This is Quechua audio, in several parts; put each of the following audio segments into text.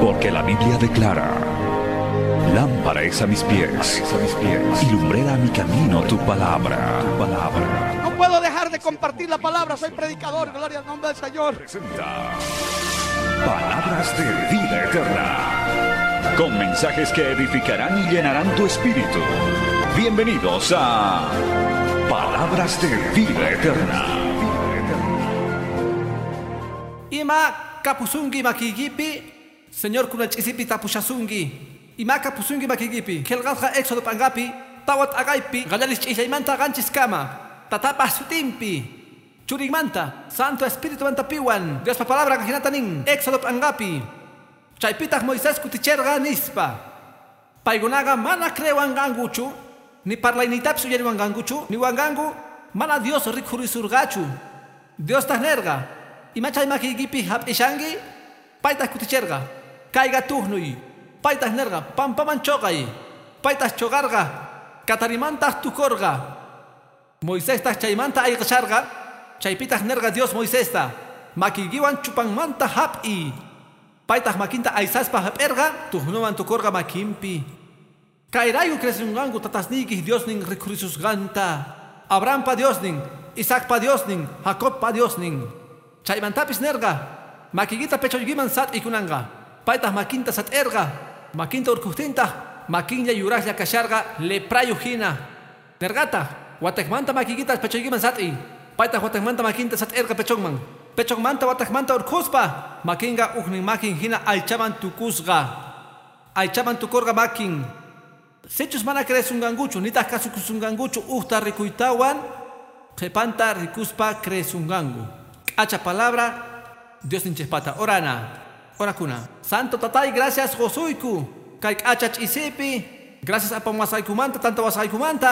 Porque la Biblia declara: lámpara es a mis pies, y lumbrera a mi camino tu palabra. Tu palabra. No puedo dejar de compartir la palabra, soy predicador, gloria al nombre del Señor. Presenta Palabras de Vida Eterna, con mensajes que edificarán y llenarán tu espíritu. Bienvenidos a Palabras de Vida Eterna. Ima kapusunki makiykipi, Señor kunach'isipi tapushasunki. Ima kapusunki makiykipi, qillqasqa Éxodo p'anqapi, tawat agaypi, qallaris ch'illaymanta qanchiskama, tatapaj sutinpi, churinmanta, Santo Espíritu mantapiwan, Diospa palabra jinata nin, Éxodo p'anqapi. Chaypitaq Moisés kuticherqa nispa. Paykunaqa mana creewanqankuchu, ni parlayniytapis uyariwanqankuchu, niwanqanku mana Dios rikhurisurqachu. Diostaq nerqa, imachay makiykipi hap'ishanki? Paytaq kuticherqa, kayqa tuqnuy. Paytaq nerqa, pampaman choqay. Paytaq choqarqa, katarimantaq tukorqa. Moisestaq chaymanta ayqisharqa, chaypitaq nerqa Dios Moisesta, makiykiwan chupanmanta hap'i. Paytaq makinta aysaspa hap'erqa, tuqnuman tukorqa makinpi. Kayrayku cresunqanku tatasniykiq Diosnin rikhurisusqanta. Abrahampa Diosnin, Isaacpa Diosnin, Jacobpa Diosnin. Chaymantapis nerqa, makiykita pechoykiman sat'ikunanqa. Paytaq makinta sat'erqa, makinta urkhuqtintaq, makinlla yuraqlla kasharqa leprayu hina. Nerqataq, wateqmanta makiykita pechoykiman sat'iy. Paytaq wateqmanta makinta sat'erqa pechonman. Pechonmanta wateqmanta urkhuspa, makinqa ujnin makin hina aychaman tukusqa. Aychaman tukurqa makin. Sichus mana creesunqankuchu, nitaq kasukusunqankuchu ujta rikuytawan, qhipanta rikuspa creesunqanku. K'acha palabra, Dios ninchikpata. Orana, orakuna. Santo Tatay, gracias qusuyku. Kay k'acha ch'isipi, gracias apamuwasqaykumanta, tantawasqaykumanta.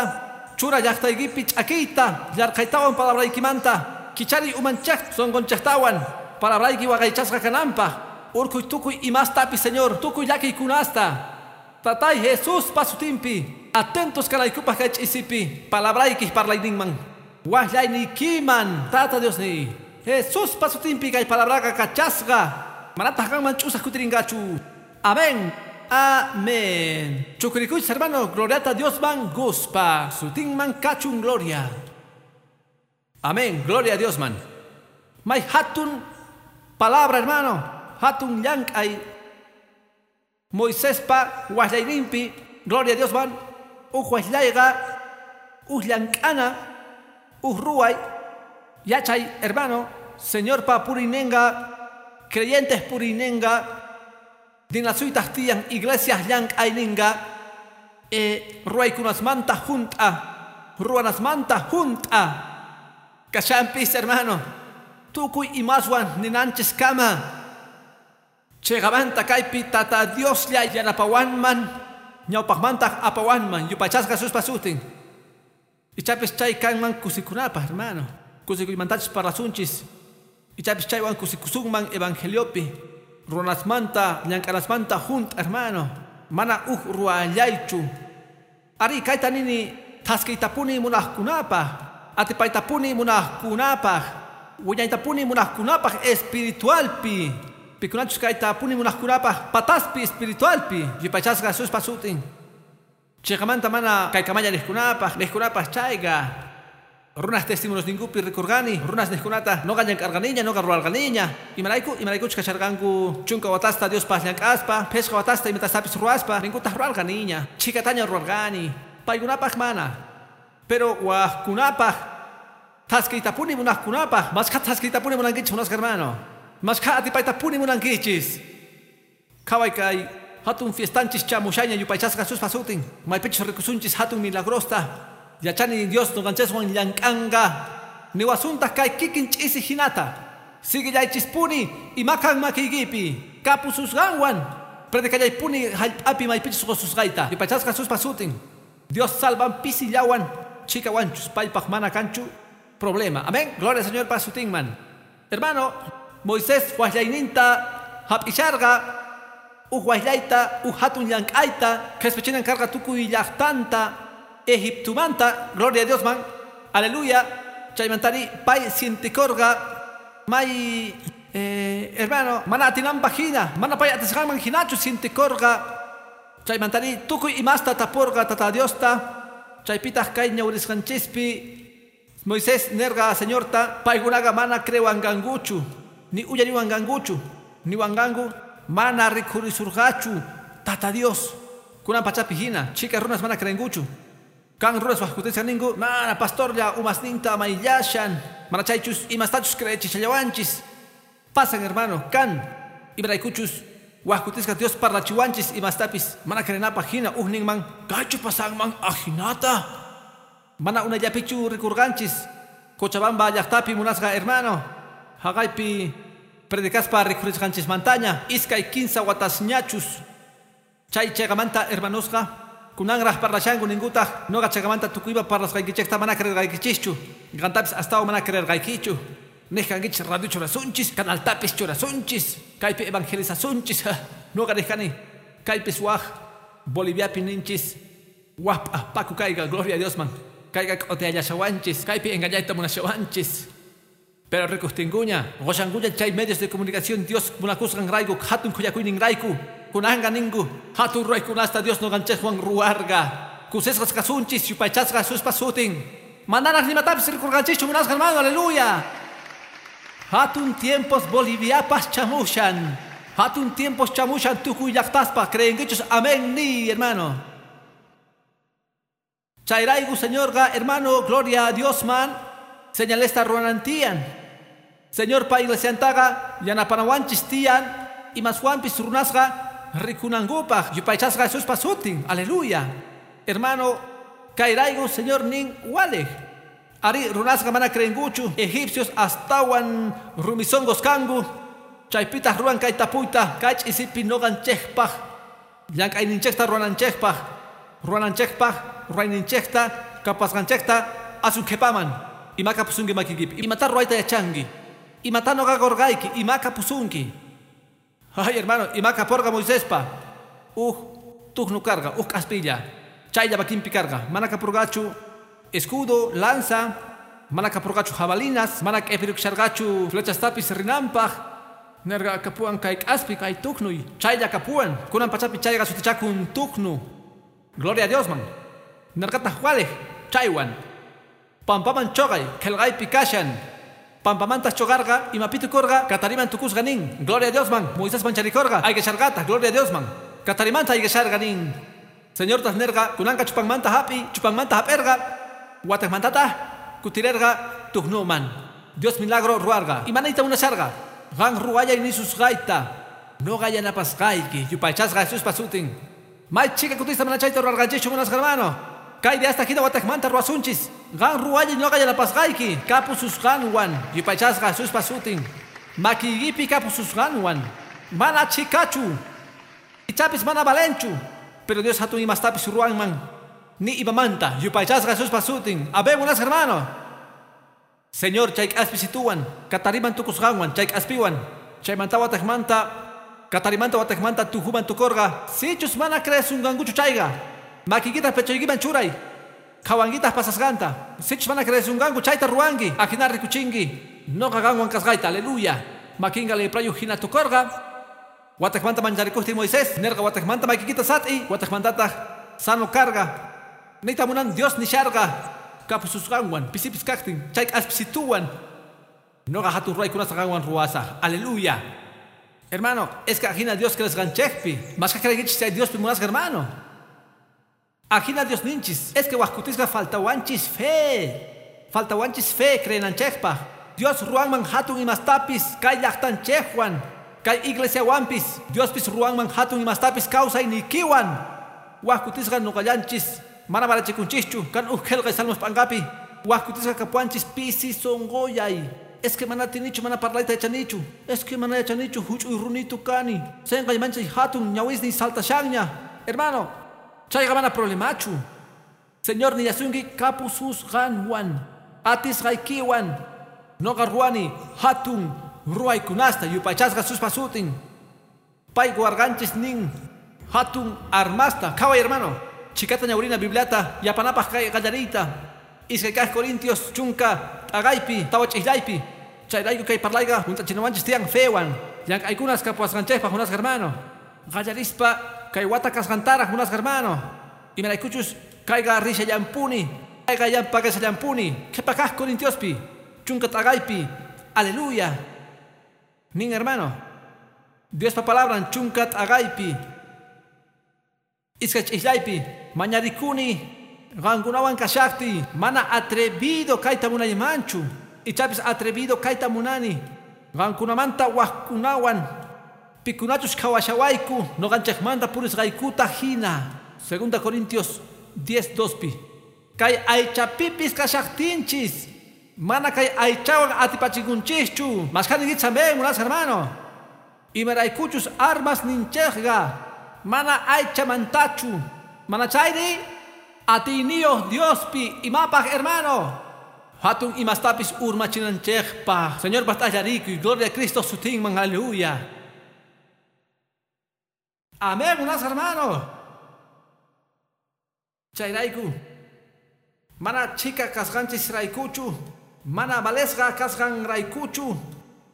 Chura llaqtaykipi ch'akiyta, llarqaytawan palabraykimanta. Kichariy umanchik sunqunchiktawan, palabrayki waqaychasqa kananpaq. Urkhuy tukuy imastapis, Señor, tukuy llakiykunasta. Tatay Jesús pasutinpi, atentos kanaykupaq kay ch'isipi, palabraykiq parlayninman. Waqllaynikiman, Tata Diosniy. Jesús pasutinpi kay palabraqa kachasqa, manataq qanman ch'usaq kutirinqachu. Amén. Amén. Chukrikuychis hermano, gloriata Diosman guspa, sutinman kachun gloria. Amén, gloria a Diosman. May hatun palabra, hermano, hatun llank'ay. Moisespa waqllayninpi, gloria a Diosman, uj waqllayqa, uj llank'ana, uj ruway. Yachay, hermano, Señorpa puriynenqa, creyentes puriynenqa, dinasuytaq tiyan iglesias llank'ayninqa, ruwaykunasmanta junt'a, ruwanasmanta junt'a. Kashanpis, hermano, tukuy imaswan ninanchiskama. Chiqamanta kaypi Tata Dioslla yanapawanman, ñawpaqmantaq apawanman, yupaychasqa Jesuspa sutin. Ichapis chay kanman kusikunapaq, hermano. Kusikuymantachus parlasunchis. Ichapis chaywan kusikusunman evangeliopi. Runasmanta, llank'anasmanta junt'a, hermano. Mana uj ruwallaychu. Ari kayta nini thaskiytapuni munaqkunapaq, atipaytapuni munaqkunapaq, wiñaytapuni munaqkunapaq espiritualpi. Pikunachus kaytapuni munaqkunapaq pataspi espiritualpi. Yupaychasqa Jesuspa sutin. Chiqamanta mana kaykamalla niqkunapaq, niqkunapaq chayqa. Runas testimonios ninkupi rikurqani, runas niqkunata noqa llank'arqaniña, noqa ruwarqaniña. Imarayku, imaraykuchus kasharqanku chunka watasta Diospaq llank'aspa, phishqa watasta imatastapis ruwaspa, ninkutaq ruwarqaniña, chhikataña ruwarqani. Paykunapaq mana. Pero waqkunapaq, thaskiytapuni munaqkunapaq, mashkha thaskiytapuni munankichis munasqa hermano. Mashkha atipaytapuni munankichis. Qhaway kay hatun fiestanchis chamushaña yupaychasqa Jesuspa sutin. Maypichus rikusunchis hatun milagrosta. Yachani Dios noqanchiswan llank'anqa. Niwasuntaq kay kikin ch'isi hinata. Siguillaychispuni imakan makiykipi. Kapususqanwan predicallaypuni hallp'api maypichus qususqayta. Yupaychasqa Jesuspa sutin. Dios salvan pisillawan chikawanchus paypaq mana kanchu problema. Amén. Gloria al Señor pa sutinman. Hermano, Moisés waqllayninta hap'isharqa, uj waqllayta, uj hatun llank'ayta, qhispichinan karqa tukuy llaqtanta Egiptumanta, gloria a Diosman, aleluya. Chaymantari pay sientikorqa may hermano mana atinanpaq hina, mana pay atisqanman hinachu sientikorqa. Chaymantari tukuy imasta tapurqa Tata Diosta. Chaypitaq kay ñawrisqanchispi Moisés nerqa Señorta paykunaqa mana crewanqankuchu, ni uyariwanqankuchu, niwanqanku mana rikhurisurqachu Tata Dios. Kunan pachapi hina, chika runas mana creenkuchu. Kan runas wajkutisqa ninku, mana pastorlla umasninta mayllashan, mana chaychus imastachus creechishallawanchis. Pasan hermano, kan imaraykuchus wajkutisqa Dios parlachiwanchis imastapis mana creenapaq hina ujninman kaychu pasanman ajinata. Mana unallapichu rikurqanchis Cochabamba llaqtapi munasqa hermano. Haqaypi predicaspa rikhurisqanchismantaña iskay kinsa watasñachus. Chay chayqamanta hermanosqa kunanraq parlashanku ninkutaq noqa chayqamanta tukuypa parlasqaykichikta mana creerqaykichischu, qantapis astawan mana creerqaykichu. Niqkankichis radio churasunchis, canaltapis churasunchis, kaypi evangelizasunchis. Noqa niqkani kaypis waj Boliviapi ninchis waj p'apaku kayqa, gloria a Diosman. Kayqa k'oteallashawanchis, kaypi engañayta munashawanchis. Pero rikuqtinkuña, qushankuña chay medios de comunicación Dios munakusqanrayku, hatun khuyakuyninrayku, kunanqa ninku, hatun ruwaykunasta Dios noqanchikwan ruwarqa. Kusisqas kasunchis, yupaychasqa Jesuspa sutin. Manaraq nimatapis rikurqanchischu munasqa hermano, aleluya. Hatun tiempos Boliviapas chamushan. Hatun tiempos chamushan tukuy llaqtaspa, creenkichus amén ni hermano. Chayrayku Señorqa hermano, gloria a Dios man, señalesta ruwanantiyan. Señorpa iglesiantaqa yanapanawanchis tiyan, imaswanpis runasqa rikunankupaq, yupaychasqa Jesuspa sutin, aleluya. Hermano, kayrayku Señor nin walej. Ari runasqa mana creenkuchu, egipcios astawan rumisongos kanku. Chaypitaq ruwan kay tapuyta, kay ch'isipi noqanchikpaq, llank'ayninchikta ruwananchikpaq, ruwananchikpaq, ruwayninchikta, kapasqanchikta asun qhipaman. Ima kapusunki makiykipi, imata ruwayta yachanki, imata noqa qurqayki, ima kapusunki. Ay hermano, ima kapurqa Moisespa, uj tuknu karqa, uj k'aspilla, chaylla makinpi karqa, mana kapurqachu escudo, lanza, mana kapurqachu jabalinas, mana k'epirikusharqachu flechastapis rinanpaq. Nerqa kapuwan kay k'aspi, kay tuknuy, chaylla kapuwan, kunan pachapi chayqa sutichakun tuknu. Gloria a Diosman. Nerqataq walej, chaywan. Pampaman choqay, qillqaypi kashan. Pampamantaq choqarqa, imapi tukurqa, katariman tukusqa nin. Gloria a Diosman. Moisés mancharikurqa, aykasharqataq, gloria a Diosman. Katarimanta aykasharqa nin. Señortaq nerqa, kunanqa chupanmanta hap'i, chupanmanta hap'erqa, wataqmantataq kutirerqa tuknuman. Dios milagro ruwarqa. Imanayta munasharqa? Qan ruwayay nisusqayta. Noqa yanapasqayki, yupaychasqa Jesuspa sutin. May chika kutista mana chayta ruwarqanchischu munasqa hermano. Kay de hasta hina wataqmanta ruwasunchis. Qan ruwayay noqa yanapasqayki, kapususqanwan, yupaychasqa Jesuspa sutin. Makiykipi kapususqanwan. Mana chikachu. Ichapis mana valenchu. Pero Dios hatun imastapis ruwanman. Ni imamanta, yupaychasqa Jesuspa sutin. Amén munasqa hermano. Señor, chay k'aspisituwan, katariman tukusqanwan, chay k'aspiwan, chaymanta wataqmanta, katarimanta wataqmanta tujuman tukurqa. Sichus mana creesunqankuchu chayqa, makiykita pechoykiman churay, qhawankitaq pasasqanta. Sichus mana creesunqanku chayta ruwanki, ajina rikuchinki, noqa qanwan kasqayta, aleluya. Makinqa leprayuq hina tukurqa. Wataqmanta mancharikuqtin Moisés, nerqa wataqmanta makiykita sat'i, wataqmantataq sano karqa. Niyta munan Dios nisharqa. Kapususqanwan, pisipis kaqtin, chay k'aspisituwan, noqa hatun ruwaykunasta qanwan ruwasaq, aleluya. Hermano, es que ajina Dios creesqanchikpi, mashkha creenkichis chay Diospi munasqa hermano. Ajina Dios ninchis, es que wajkutisqa faltawanchis fe, faltawanchis fe creenanchikpaq. Dios ruwanman hatun imastapis, kay llaqtanchikwan, kay iglesiawanpis, Diospis ruwanman hatun imastapis kawsaynikiwan. Wajkutisqa noqallanchis mana valachikunchischu, kan uj qillqay Salmos p'anqapi, wajkutisqa kapuanchis pisi sonqoyay. Es que mana atinichu, mana parlayta yachanichu. Es que mana yachanichu, huch'uy runitu kani. Senqay manchay hatun ñawisniy saltashanña. Hermano, chayqa mana problemachu. Señor nillasunki kapususqanwan, atisqaykiwan. Noqa ruwani hatun ruwaykunasta yupaychasqa Jesuspa sutin. Pay warqanchis nin hatun armasta. Qhaway hermano. Chikata ñawrina Bibliata yapanapaq kay qallariyta. Iskay Corintios chunka t'aqaypi tawa ch'ijllaypi. Chayrayku kay parlayqa hunt'achinawanchis tiyan fewan. Llank'aykunas kapuwasqanchikpaq munasqa hermano. Qallarispa kay wata kasqantaraq munasqa hermano. Imaraykuchus kayqa rishallampuni. Kayqa llampakashallampuni. Qhipa kaq Corintiospi chunka t'aqaypi. Aleluya. Nin hermano. Diospa palabran chunka t'aqaypi. Iskay ch'ijllaypi mañarikuni qankunawan kashaqti mana atrevido kayta munaymanchu. Ichapis atrevido kayta munani. Qankunamanta waqkunawan pikunachus qhawashawayku noqanchikmanta purisqaykuta hina. 2 Corintios 10:2pi. Kay aychapipis kashaqtinchis mana kay aychawan atipachikunchischu. Mashkani amén, munasqa hermano. Imaraykuchus armas ninchikqa mana aychamantachu. Mana chayri atiyniyuq Diospi imapaq hermano. Hatun imastapis urmachinanchikpaq. Señor batallariku, gloria a Cristo sutinman, aleluya. Amén, munasqa hermano. Chayrayku mana chika kasqanchis raykuchu, mana valesqa kasqan raykuchu.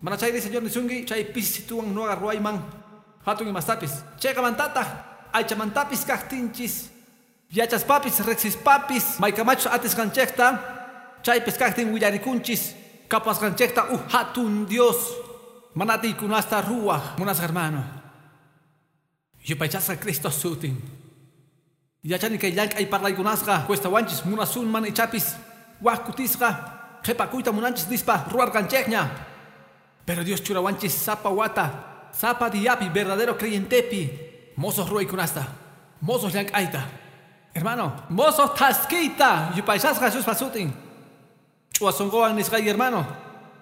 Mana chayri Señor nisunki chay pisituwan nuqa ruwayman hatun imastapis. Chayqamantataq aychamantapis kaqtinchis yachaspapis riqsispapis maykamachus atisqanchikta chaypis kaqtin willarikunchis kapasqanchikta hatun Dios mana atiykunasta ruwaq munasqa hermano. Yupaychasqa Cristo sutin. Yachani kay llank'ay parlaykunasqa cuestawanchis munasunman ichapis waq kutisqa qhipakuyta munanchis nispa ruwarqanchikña. Pero Dios churawanchis sapa wata sapa diapi verdadero creyentepi mozos ruwaykunasta mozos llank'ayta. Hermano, mozos thaskiyta yupaychasqa Jesuspa sutin. Ch'uwasunquwan nisqayki hermano,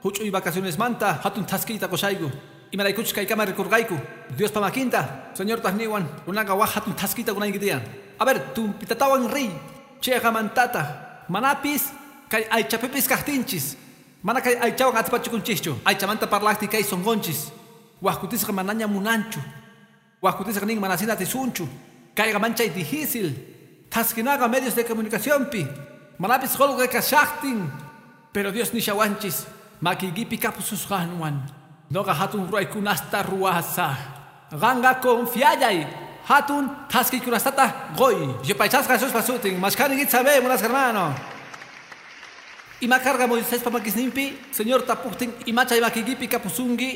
huch'uy vacacionesmanta hatun thaskiyta qushayku. Imaraykuchus kaykama rikurqayku Diospa makinta. Señor niwan runaqa waq hatun thaskiyta kunayki tiyan. A ver, tumpitatawan riy chayqamantata manapis kay aychapipis kaqtinchis. Mana kay aychawan atipachikunchischu. Aychamanta parlaqti kay sunqunchis. Waq kutisqa manaña munanchu. Waq kutisqa nin manasina atisunchu. Kayqa manchay difícil. Thaskinaqa medios de comunicacionpi. Manapis qolqe kashaqtin. Pero Dios nishawanchis makiykipi kapususqanwan. Noqa hatun ruwaykunasta ruwasaq. Qanqa confiallay. Hatun thaskiykunastata qoy. Yupaychasqa Jesuspa sutin. Mashkani sabe munasqa hermano. Ima karqa Moisespa makisninpi Señor tapuqtin imachay makiykipi kapusunki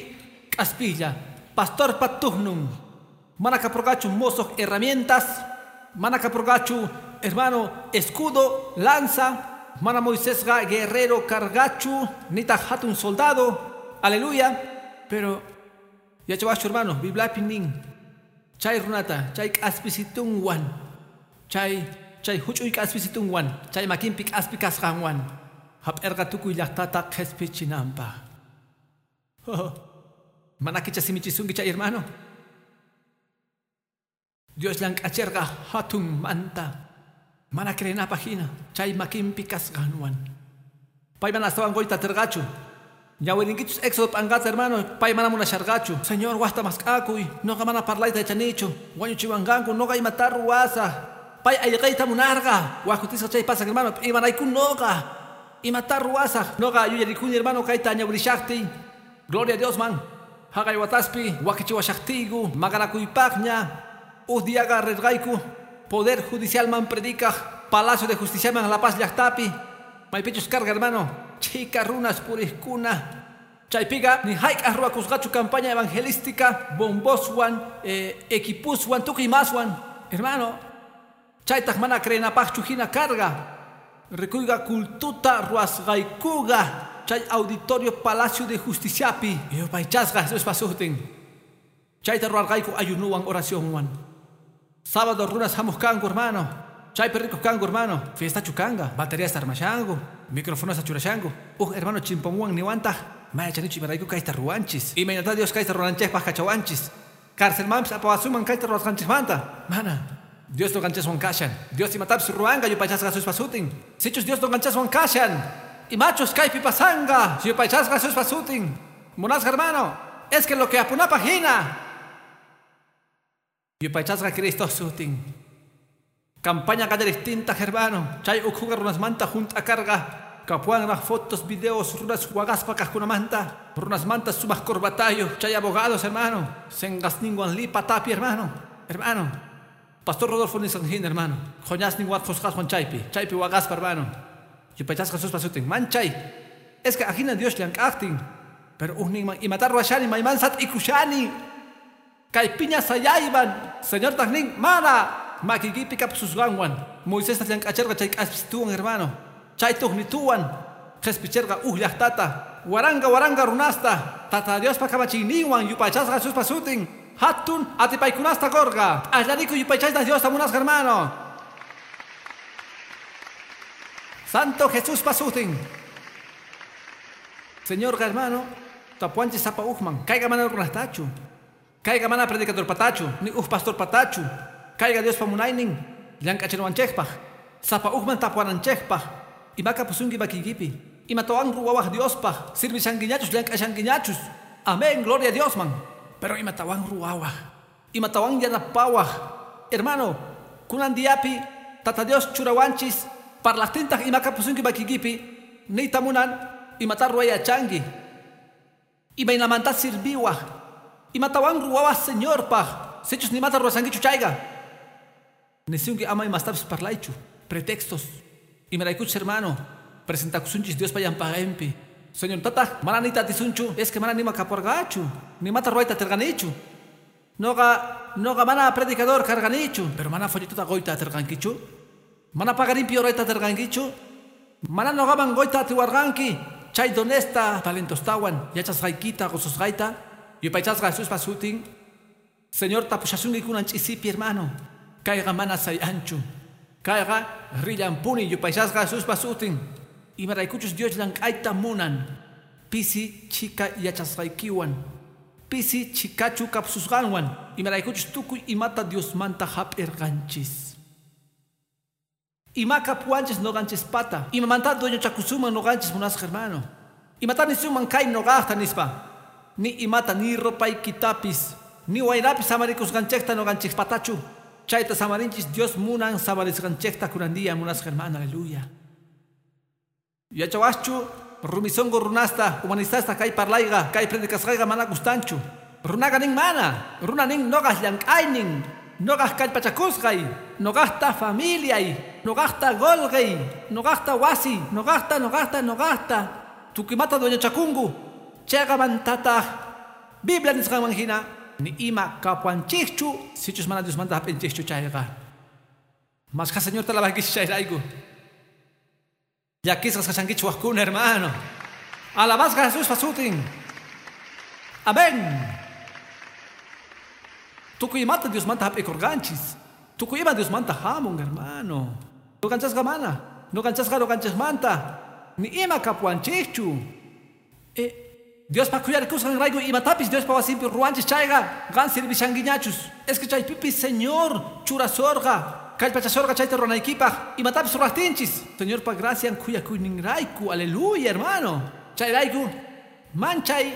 k'aspilla. Pastorpa tuhnun. Mana kapurqachu mozoq herramientas. Mana kapurqachu hermano escudo, lanza. Mana Moisesqa guerrero karqachu nitaq hatun soldado. Aleluya. Pero yachawaschu hermano Bibliapi nin chay runata chay k'aspisitunwan chay huch'uy k'aspisitunwan chay makinpi k'aspi kasqanwan hap'irqa tukuy llaqtata qhispichinanpaq. Mana kichasimichisunki chay hermano. Dios llank'achirqa hatun manta mana creenapaq hina chay makinpi kasqanwan. Pay mana astawan quyta atirqachu. Ñawirinkichus Éxodo p'anqata hermano, pay mana munasharqachu. Señor waqta mask'akuy, noqa mana parlayta yachanichu. Wañuchiwanqanku noqa imata ruwasaq. Pay ayqayta munarqa. Waq kutisqa chay pasan hermano, imarayku noqa imata ruwasaq. Noqa yuyarikuni hermano kayta ñawirishaqtiy. Gloria a Dios man. Haqay wataspi wakichiwashaqtiyku maqanakuypaqña. Uj diaqa rirqayku Poder Judicialman predicaj Palacio de Justiciaman La Paz llaqtapi. Maypichus karqa hermano. Chica runas puriskuna. Chaypiqa ni hayk'aq ruwakusqachu campaña evangelística bomboswan equipuswan tukuy imaswan. Hermano, chaytaq mana creenapaqchu hina karqa. Rikuyqa cultuta ruwasqaykuqa chay auditorio Palacio de Justiciapi. Yupaychasqa Jesuspa sutin. Chayta ruwarqayku ayunuwan oracionwan. Sábado runas hamuq kanku hermano. Chaypi rikuq kanku hermano. Fiestachu kanqa. Bateriasta armashanku. Micrófonos churashanku. Uj hermano chimpamuwan niwantaq. Mayachanichu imarayku kayta ruwanchis. Imaynata Dios kayta ruwananchikpaq kachawanchis. Carcelmanpis apawasuman kayta ruwasqanchikmanta. Mana. Dios noqanchaswan kashan. Dios imatapis ruwanqa yupaychasqa Jesuspa sutin. Sichus Dios noqanchaswan kashan. Imachus kaypi pasanqa yupaychasqa Jesuspa sutin. Munasqa hermano. Es que lo que apunapaq hina. Yupaychasqa Cristo sutin. Campaña qallariqtintaq, hermano, chay ukhuqa runasmanta hunt'akarqa. Kapuwanraq fotos, videos, runas waqaspa kaqkunamanta, runasmanta sumaq corbatayo, chay abogados, hermano, senqasninwan lipa tapi, hermano, hermano. Pastor Rodolfo nisqan hina, hermano, qhuñasnin warkhusqaswan chaypi, chaypi waqaspa, hermano. Yupaychasqa Jesuspa sutin, manchay. Es que ajina Dios llank'aqtin, pero ujninman imata ruwashani, mayman sat'ikushani. Kay piña sayayman, Señor nin, mana makiykipi kapususqanwan. Moisés llank'acherqa chay k'aspituwan, hermano. Chay tuqnituwan qhispicherqa uj llaqtata, waranga waranga runasta, Tata Diospa kamachiyninwan yupaychasqa Jesuspa sutin, hatun atipaykunasta qurqa. T'aqllariku yupaychayta Diosta munasqa, hermano. Santo Jesuspa sutin. Señor hermano, tapuanchis sapa ujman, kayqa mana runastachu, kayqa mana predicador patachu, ni uj pastor patachu, kayqa Diospa munaynin llank'achinawanchikpaq, sapa ujman tapuwananchikpaq. Ima kapusunki makiykipi, imatawan ruwawaq Diospaq, sirvishankiñachus llank'ashankiñachus. Amén, gloria a Diosman. Pero imatawan ruwawaq, imatawan yanapawaq. Hermano, kunan diapi Tata Dios churawanchis parlaqtintaq ima kapusunki makiykipi, niyta munan imata ruwayachanki, imaynamanta sirviwaq, imatawan ruwawaq Señorpaq, sichus nimata ruwashankichu chayqa. Nisunki ama imastapis parlaychu, pretextos. Imaraykuchus, hermano, presentakusunchis Diospa llampaqinpi. Señor tataq, mana niyta atisunchu, es que mana nima kapuwarqachu, nimata ruwayta atirqanichu. Noqa mana predicador karqanichu, pero mana folletota qoyta atirqankichu, mana paqarinpi orayta atirqankichu, mana noqaman qoyta atiwarqanki, chay donesta talentostawan, yachasqaykita qususqayta, yupaychasqa Jesuspa sutin. Señor tapushasunki kunan ch'isipi, hermano, kayqa mana sayanchu. Kayqa rillampuni yupaychasqa Jesuspa sutin. Imaraykuchus Dios llank'ayta munan, pisi chhika yachasqaykiwan, pisi chhikachu kapususqanwan, imaraykuchus tukuy imata Diosmanta hap'irqanchis. Ima kapuwanchis noqanchispata, imamanta dueñochakusunman noqanchis munasqa, hermano. Imata nisunman kay noqaqta nispa, ni imata ni ropaykitapis, ni wayrapis samarikusqanchikta noqanchispatachu. Chayta samarinchis Dios munan samarisqanchikta kunan día munasqa, hermano, aleluya. Yachawaschu rumisongo runasta, humanistasta kay parlayqa, kay predicasqayqa mana gustanchu. Runaqa nin mana, runa nin noqaq llank'aynin, noqaq kallpachakusqay, noqaqta familiay, noqaqta qolqey, noqaqta wasi, noqaqta, noqaqta, noqaqta. Tukuymata dueñochakunku. Chayqamantataq Biblia nisqanman hina ni ima kapuwanchikchu, sichus mana Diosmanta hap'inchikchu chayqa. Mashkha Señorta alabankichis chayrayku. Llakisqas kashankichis waqkuna, hermano. Alabasqa Jesuspa sutin. Amén. Tukuy imata Diosmanta hap'ikurqanchis. Tukuy ima Diosmanta hamun, hermano. Noqanchasqa mana, noqanchasqa noqanchismanta ni ima kapuwanchikchu. Diospa khuyarikusqanrayku imatapis Diospa wasinpi ruwanchis chayqa, qan sirvishankiñachus. Es que chaypipis Señor churasorqa, kallpachasorqa chayta ruwanaykipaq, imatapis ruwaqtinchis. Señorpa gracian khuyakuyninrayku, aleluya, hermano. Chayrayku, manchay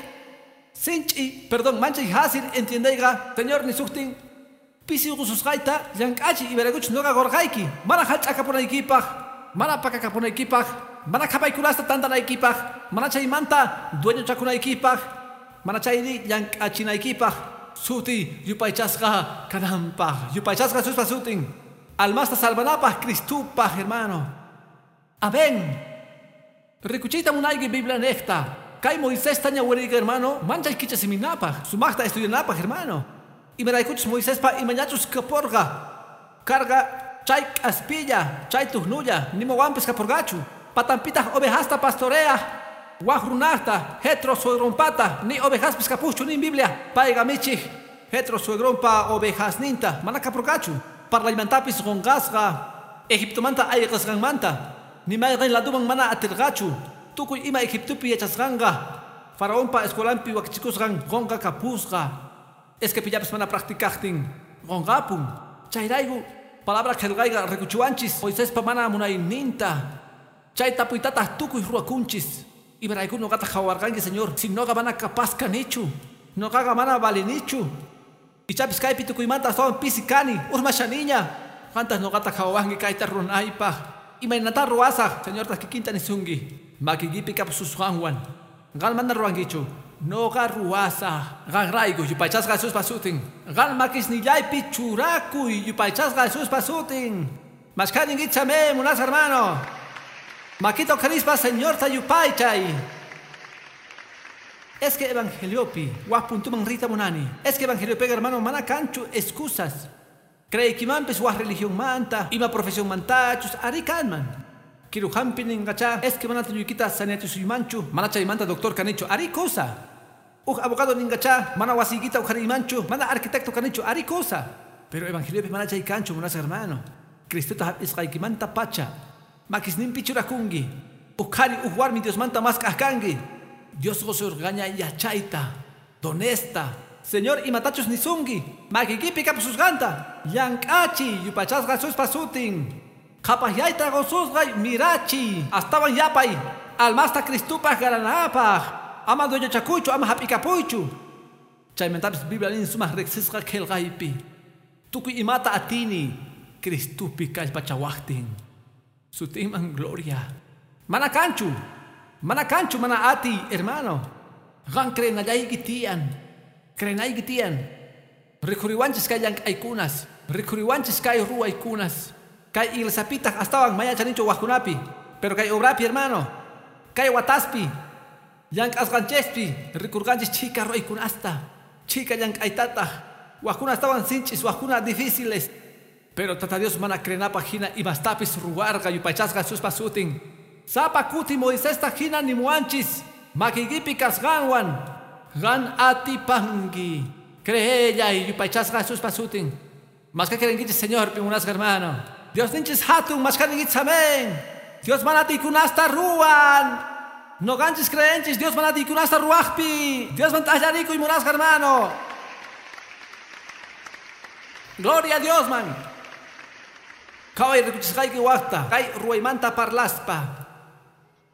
sinch'i, perdón, manchay hasil entiendeyqa, Señor nisuqtin, pisi uqususqayta llank'achi imaraykuchus noqa qurqayki, mana hallch'akapunaykipaq, mana pakakapunaykipaq, mana qhapaykunasta tantanaykipaq, mana chaymanta dueñochakunaykipaq, mana chayri llank'achinaykipaq, suti yupaychasqa kananpaq, yupaychasqa Jesuspa sutin, almasta salvanapaq Cristupaq, hermano. Amén. Rikuchiyta munayki Biblia niqta. Kay Moisesta ñawiriyqa, hermano, manchay kichasiminapaq, sumaqta estudianapaq, hermano. Imaraykuchus Moisespa imañachus kaporqa, karqa chay k'aspilla, chay tuqnulla, nimawanpis kapurqachu. Patampitaq ovejasta pastorea, waq runaqta, Jetro suegronpata, ni ovejaspis kapuqchu nin Biblia. Payqa michiq Jetro suegronpa ovejasninta, mana kapurqachu. Parlaymantapis qunqasqa, Egiptomanta ayqisqanmanta, ni mayqin laduman mana atirqachu. Tukuy ima Egiptopi yachasqanqa, Faraonpa escuelanpi wakichikusqan qunqa kapusqa. Es que pillapis mana practicaqtin qunqapun. Chayrayku palabra qillqayqa rikuchiwanchis Moisespa mana munayninta. Chay tapuytataq tukuy ruwakunchis. Imarayku noqata qhawarqanki, Señor, si noqa mana capaz kanichu, noqaqa mana valinichu. Ichapis kaypi tukuymanta astawan pisi kani, urmashaniña. Qantaq noqata qhawawanki kayta ruwanaypaq. Imaynatá ruwasaq? Señortaq kikinta nisunki. Makiykipi kapususqanwan. Qan mana ruwankichu. Noqa ruwasaq. Qanrayku yupaychasqa Jesuspa sutin. Qan makisnillaypi churakuy yupaychasqa Jesuspa sutin. Mashkaninkichis amén, munasqa hermano. Makita uqharispa Señorta yupaychay. Es que evangeliopi wak puntuman riyta munani. Es que evangeliopiqa hermano mana kanchu excusas. Creeykimanpis wak religionmanta, ima profesionmantachus arí kanman. Kiruhampi ninqachá, es que mana tulluykita saneachisuymanchu, mana chaymanta doctor kanichu, arí kusa. Uj abogado ninqachá, mana wasiykita uqhariymanchu, mana arquitecto kanichu, arí kusa. Pero evangeliopi mana chay kanchu, munasqa hermano. Cristota hap'isqaykimanta pacha, makisninpi churakunki. Uj qhari, uj warmi Diosmanta mask'aj kanki. Dios qusurqaña yachayta, donesta. Señor imatachus nisunki, makiykipi kapususqanta, llank'achiy, yupaychasqa Jesuspa sutin. Qhapaqyayta qususqay mirachiy, astawan yapay, almasta Cristopaq gananapaq. Ama dueñochakuychu, ama hap'ikapuychu. Chaymantapis Biblia nin sumaq riqsisqa qillqaypi, Tukuy imata atini Cristopi kallpachawaqtin. Sutinman gloria. Mana kanchu, mana kanchu, mana atiy, hermano. Qan creenallayki tiyan, creenayki tiyan. Rikhuriwanchis kay llank'aykunas, rikhuriwanchis kay ruwaykunas. Kay iglesiapitaq astawan mayachanichu waqkunapi, pero kay obrapi, hermano, kay wataspi, llank'asqanchispi, rikurqanchis chhika ruwaykunasta, chhika llank'aytataq, waqkuna astawan sinch'is, waqkuna difíciles. Pero Tata Dios mana creenapaq hina imastapis ruwarqa yupaychasqa Jesuspa sutin. Sapa kuti Moisesta hina nimuwanchis, makiykipi kasqanwan qan atipanki. Creellay yupaychasqa Jesuspa sutin. Mashkha creenkichis Señorpi, munasqa hermano. Diosninchis hatun, mashkha ninkichis amén. Dios mana atiykunasta ruwan. Noqanchis creenchis Dios mana atiykunasta ruwaqpi. Diosman t'aqllarikuy, munasqa hermano. Gloria a Diosman. Qhaway rikuchisqayki waqta kay ruwaymanta parlaspa.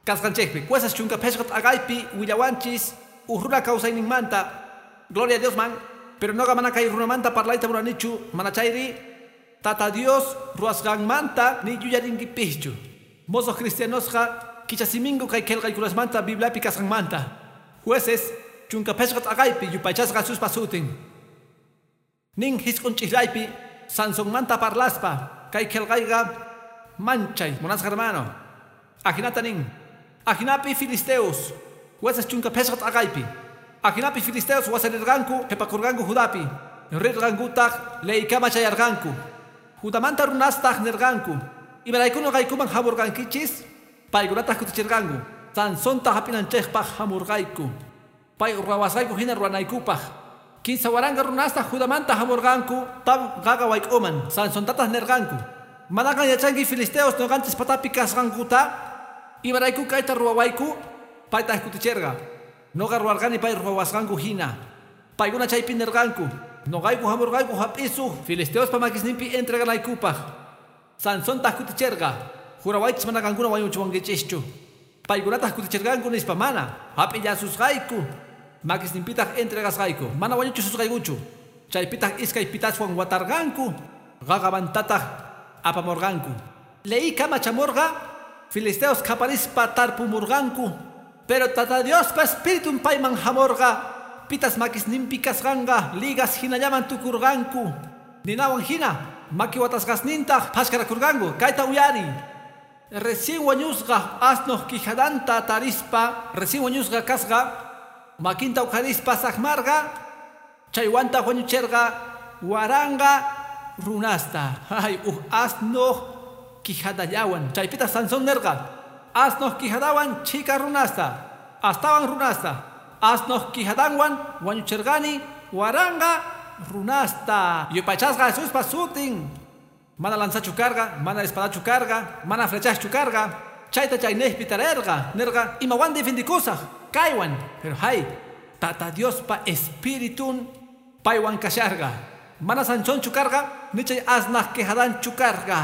Kasqanchikpi, Jueces 15 t'aqaypi willawanchis uj runa kawsayninmanta. Gloria a Diosman. Pero noqa mana kay runamanta parlayta munanichu, mana chayri Tata Dios ruwasqanmanta ni yuyarinkipischu. Mozo cristianosqa kichasimingu kay qillqaykunasmanta Bibliapi kasqanmanta. Jueces 15 t'aqaypi yupaychasqa Jesuspa sutin. Nin jisq'un ch'ijlaypi Sansonmanta parlaspa kay qillqayqa manchay, munasqa hermano. Ajinata nin. Ajinapi filisteos, Jueces 15 t'aqaypi. Ajinapi filisteos wasarirqanku qhipakurqanku Judapi. Rirqankutaq Leikama chayarqanku. Judamanta runastaq nirqanku. Imarayku noqaykuman hamurqankichis? Paykunataq kutichirqanku. Sansonta hap'inanchikpaq hamurqayku. Pay ruwasqayku hina ruwanaykupaq. 3000 runastaq Judamanta hamurqanku tam qaqa wayk'uman. Sansontataq nirqanku. Manaqa yachanki filisteos noqanchis patapi kasqankuta? Imarayku kayta ruwawayku? Paytaq kutichirqa. Noqa ruwarqani pay ruwasqanku hina. Paykuna chaypi nirqanku. Noqayku hamurqayku hap'isuq filisteospa makisninpi entreganaykupaq. Sansontaq kutichirqa. Jurawaychis mana qankuna wañuchiwankichischu. Paykunataq kutichirqanku nispa mana. Hap'illasusqayku. Makisninpitaq entregasqayku. Mana wañuchisusqaykuchu. Chaypitaq iskay pitaswan watarqanku. Qaqamantataq apamurqanku. Leikama chamurqa. Filisteos qaparispa tarpumurqanku. Pero Tata Diospa espiritun payman hamurqa. Pitas makisninpi kasqanqa ligas hinallaman tukurqanku. Ninawan hina maki watasqasnintaq phashkarakurqanku. Kayta uyari. Recién wañusqa asnoq quijadanta tarispa, recién wañusqa kasqa makinta uqharispa saqmarqa, chaywanta wañucherqa 1000 runasta. Ay, uj asnoq quijadallawan. Chaypita Sansón nerqa. Asnoq quijadawan chika runasta, astawan runasta. Asnoq quijadanwan wañucherqani 1000 runasta. Yupaychasqa Jesuspa sutin. Mana lanzachu karqa, mana espadachu karqa, mana flechachu karqa. Chayta chaynejpi tarerqa, nerqa imawan defendikusaq, kaywan. Pero hay, Tata Diospa espiritun paywan kasharqa. Mana Sansonchu karqa, ni chay asnaq quijadanchu karqa.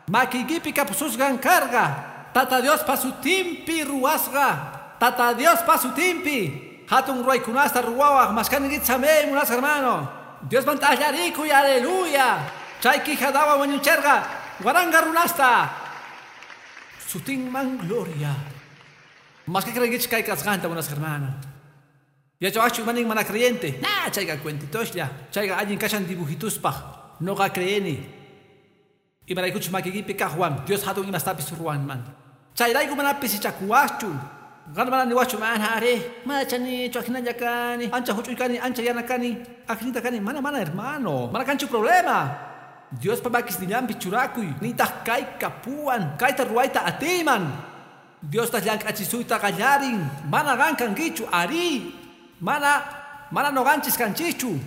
Makiykipi kapususqan karqa. Tata Diospa sutinpi ruwasqa. Tata Diospa sutinpi. Hatun ruwaykunasta ruwawaq, mashkaninkichis amén, munasqa hermano. Diosman t'aqllarikuy, aleluya. Chay quijadawan wañucherqa waranga runasta. Sutinman gloria. Más que creyentes kay kasqanta, buenas hermano. Yachawachu manin mana creyente. Nah, chayqa cuentitoslla. Chayqa allin kashan dibujituspaq. Noqa creeni. Imaraykuchus makiykipi kaqwan Dios hatun imastapis ruwanman. Chayrayku mana pisichakuwaschu. Qan mana niwaschu mana are. Mana chanichu ajinalla kani. Ancha huch'uy kani, ancha yana kani. Ajinita kani, mana mana hermano. Mana kanchu problema. Diospa makisnillanpi churakuy. Nitaq kay kapuwan. Kayta ruwayta atiyman. Diostaq llank'achisuyta qallarin. Mana qan kankichu, ari. Mana mana noqanchis kanchischu.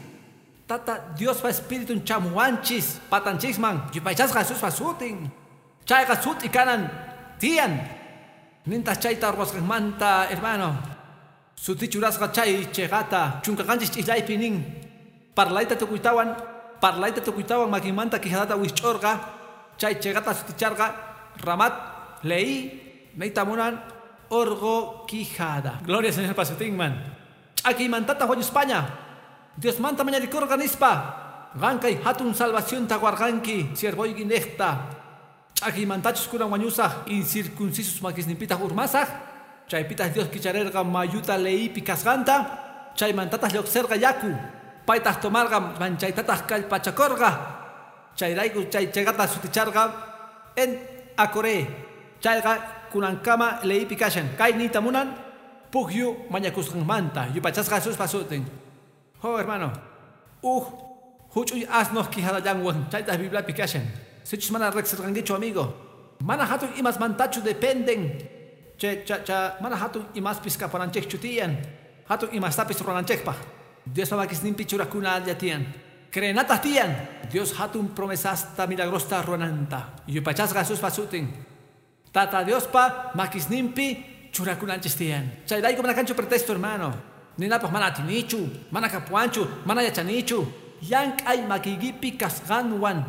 Tata Diospa Espiritun chamuwanchis patanchisman yupaychasqa Jesuspa sutin. Chayqa sut'i kanan tiyan. Nintaq chayta ruwasqanmanta, hermano. Suti churasqa chay cheqata 17 ch'islaypi nin. Parlayta tukuytawan makinmanta quijadata wisch'urqa. Chay cheqata suticharqa Ramat Leí niyta munan orqo quijada. Gloria al Señor pa sutinman. Ch'akiymantataq wañuspaña. Diosmanta mañarikurqa nispa. Qan kay hatun salvacionta warqanki siervoyki niqta. Ch'akiymantachus kunan wañusaq incircuncisos makisninpitaq urmasaq. Chaypitaq Dios kicharerqa mayuta Leípi kasqanta. Chaymantataq lluqsirqa yaku. Paytaq tomarqa manchaytataq kallpachakurqa. Chayrayku chay cheqata suticharqa en Acoré. Chayqa kunankama Leípi kashan. Kay niyta munan pukyu mañakusqanmanta yupaychasqa Jesuspa sutin. Oh, hermano. Huch'uy asnoj quijadallanwan chaytaq Bibliapi kashan. Sichus mana riqsirqankichu, amigo. Mana hatun imasmantachu dependen. Che cha cha mana hatun imaspis kapananchikchu tiyan. Hatun imastapis rurananchikpaq. Diospa makisninpi churakunalla tiyan. Creenataq tiyan. Dios hatun promesasta milagrosta rurananta. Yupaychasqa Jesuspa sutin. Tata Diospa makisninpi churakunanchis tiyan. Chayrayku mana kanchu pretexto, hermano. Ninapaq mana atinichu, mana kapuwanchu, mana yachanichu. Llank'ay makiykipi kasqanwan.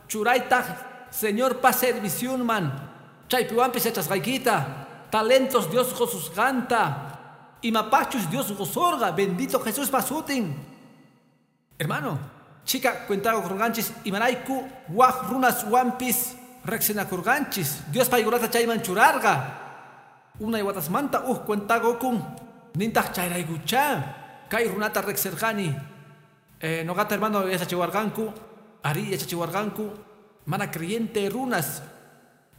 Churaytaq Señorpa servicionman. Chaypiwanpis yachasqaykita. Talentos Dios qosusqanta. Imapachus Dios qosurqa. Bendito Jesuspa sutin. Hermano, chica cuentago kurqanchis imarayku waj runas wampis riqsinakurqanchis. Dios paykunata chayman churarqa. Unay watasmanta uj cuentago kun. Nintaq chayraykucha. Kay runata riqsirqani. Noqata hermano yachachiwarqanku. Ari yachachiwarqanku. Mana creyente runas.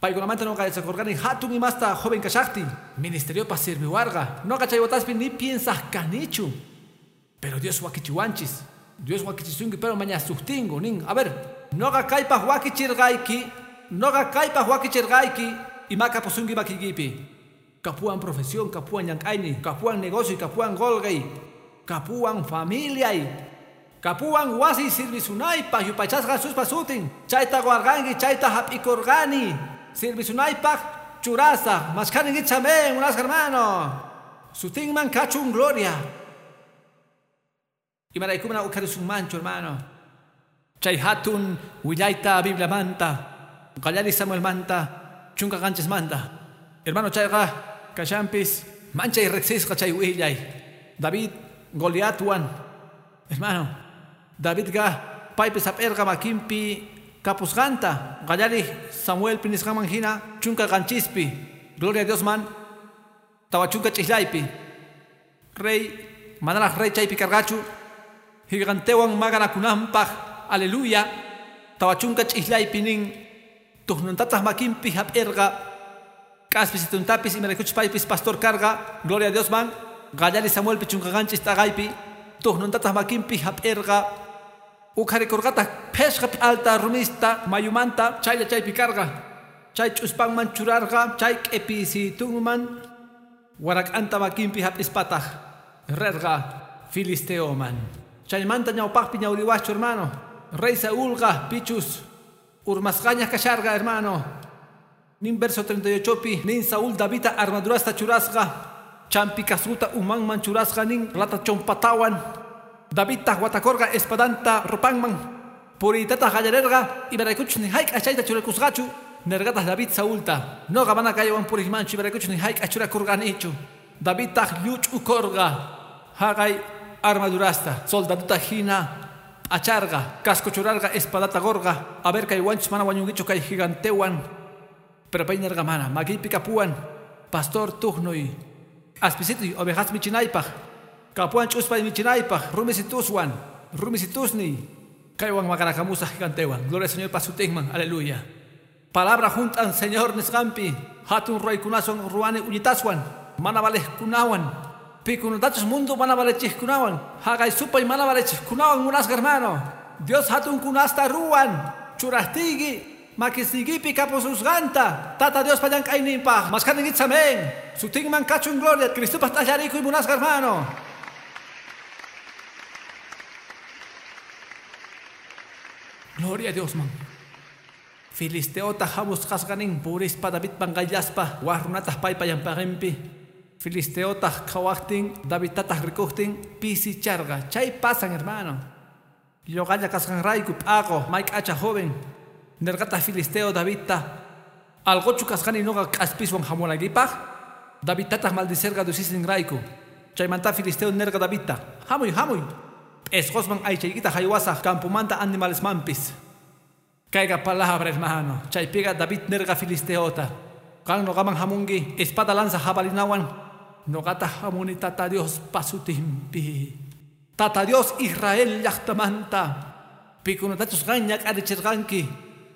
Paykunamanta noqa yachakurqani hatun imasta joven kashaqtin. Ministeriopa sirviwarqa. Noqa chay wataspi ni piensaq kanichu. Pero Dios wakichiwanchis. Dios wakichisunki pero mañasuqtingu nin. A ver, noqa kaypaq wakichirqayki. Noqa kaypaq wakichirqayki. Ima kapusunki makiykipi. Kapuwan profesión, kapuwan llank'ayni, kapuwan negocio, kapuwan qolqay, kapuwan familiay, kapuwan wasi servisunaypaq yupaychasqa Jesuspa sutin. Chayta warqanki, chayta hap'ikurqani. Servisunaypaq churasaq. Mashkhaninkichik amén, munasqa hermano. Sutinman kachun gloria. Imarayku mana ukharisunmanchu, hermano. Chay hatun willayta Bibliamanta, qallari Samuelmanta, 17manta. Hermano, chayqa kashanpis manchay riqsisqa chay willay. David Goliatwan. Hermano, Davidqa paypis hap'irqa makinpi kapusqanta. Qallari Samuelpi nisqanman hina 17pi. Gloria a Diosman 40 ch'islaypi. Rey manaraq rey chaypi karqachu. Gigantewan maqanakunanpaq. Aleluya. 40 ch'islaypi nin tuqnuntataq makinpi hap'irqa. K'aspisistuntapis imaraykuchus paypis pastor karqa. Gloria a Diosman. Qallari Samuelpi 17 t'aqaypi tuqnuntataq makinpi hap'irqa. Uqharikurqataq phishqa p'alta rumista mayumanta chaylla chaypi karqa. Chay ch'uspanman churarqa chay q'ipisitunman warak'anta makinpi hap'ispataq rirqa filisteoman. Chaymanta ñawpaqpi ñawriwaschu, hermano. Rey Saulqa pichus urmasqaña kasharqa, hermano. Nin verso 38pi nin Saúl Davida armadurasta churasqa. Champi kasuta umanman churasqa nin lata chompatawan. Davidtaq watakurqa espadanta rupanman. Puriytataq qallarerqa imaraykuchus ni hayk'aq chayta churakusqachu. Nerqataq David Saulta. Noqa mana kaywan puriymanchu imaraykuchus ni hayk'aq churakurqanichu. Davidtaq lluch'ukurqa haqay armadurasta. Soldadota hina P'acharqa, casco churarqa, espadata gorqa. A ver kay wanchus mana wañunkichu kay gigantewan. Pero pay nerqa mana, makiypi kapuwan. Pastor tuqnuy. Aspicituy ovejas michinaypaq. Kapuwan ch'uspay michinaypaq, rumisituswan, rumisitusniy. Kaywan maqanakamusaq gigantewan. Gloria al Señor pasutinman, aleluya. Palabra juntan Señor nisqanpi. Hatun ruwaykunaswan ruwani uñitaswan, mana valejkunawan. Pikunatachus mundo mana valechijkunawan. Haqay supay mana valechijkunawan munasqa hermano. Dios hatun kunasta ruwan. Churajtiyki makisniykipi kapususqanta. Tata Dios pallank'ayninpaq. Mashkhaninkichis amén. Sutinman kachun gloria. Cristopaq t'allarikuy munasqa hermano. Gloria a Dios man. Filisteota hamusqasqanin purispa Davidpan qayllaspa waj runataq paypa llampaqinpi. Filisteotaq qhawaqtin Davidtataq rikuqtin pisicharqa. Chay pasan hermano. Lluqalla kasqanrayku p'aqo mayk'acha joven. Nerqataq filisteo Davidta alquchu kasqani nuqa k'aspiswan hamunaykipaq. Davidtataq maldicerqa dusisninrayku. Chaymanta filisteo nerqa Davidta hamuy hamuy. P'isqosman aychaykita haywasaq campomanta animalesmanpis. Kayqa palabra hermano. Chaypiqa David nerqa filisteota. Qan nuqaman hamunki espada lanza jabalinawan. Nuqataq hamuni Tata Dios pasutinpi. Tata Dios Israel llaqtamanta. Pikunatachus qan ñak'arichirqanki.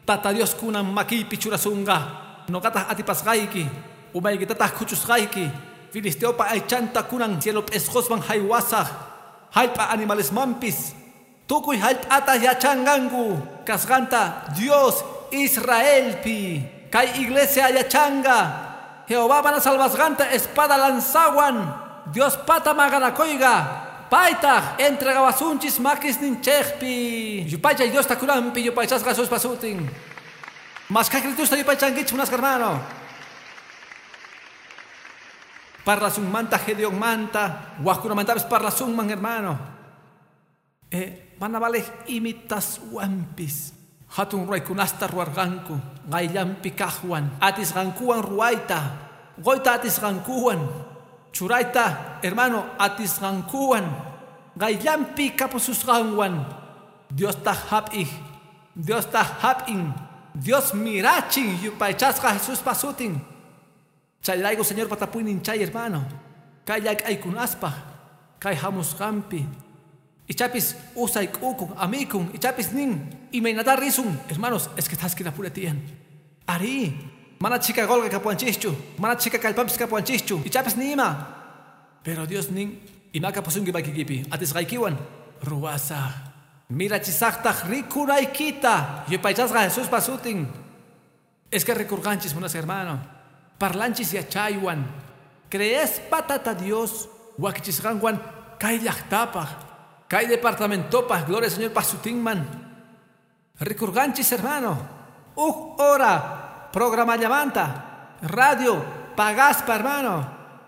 Tata Dios kunan makiypi churasunqa. Nuqataq atipasqayki. Umaykitataq khuchusqayki. Filisteopa aychanta kunan cielo p'isqosman haywasaq. Hallp'a animalesmanpis. Tukuy hallp'ata yachanqanku kasqanta Dios Israelpi. Kay iglesia yachanga. Jehová mana salvasqanta espada lanzawan. Dios pata maqanakuyqa. Paytaq entregawasunchis makisninchikpi. Yupaychay Diosta kunanpi yupaychasqa Jesuspa sutin. Mashkha Cristosta yupaychankichik munasqa hermano. Parlasunmanta Gedeonmanta, wajkunamantapis parlasunman hermano. Mana valej imitaswanpis. Hatun ruwaykunasta ruwarqanku, qayllanpi kaqwan, atisqankuwan ruwayta, qoyta atisqankuwan, churayta, hermano, atisqankuwan, qayllanpi kapususqanwan. Diosta hap'ij, Diosta hap'in, Dios mirachin yupaychasqa Jesuspa sutin. Chayrayku Señor patapuynin chay hermano. Kay llank'aykunaspaq, kay hamusqanpi. Ichapis usayk'ukun, amikun, ichapis nin, imaynata risun. Hermanos, es que thaskina tiyan. Ari, mana chika qolqe kapuwanchischu, mana chika kallpanpis kapuwanchischu, ichapis ni ima. Pero Dios nin, ima kapusunki makiykipi, atisqaykiwan, ruwasaq. Mirachisaqtaq rikunaykita, yupaychasqa Jesuspa sutin. Es que rikurqanchis munasqa hermano. Parlanchis yachaywan. Creespa Tata Dios, wakichisqanwan kay llaqtapaq, kay departamentopaq, gloria al Señor pasutinman. Rikurqanchis hermano. Uj hora programallamanta, radio pagaspa hermano.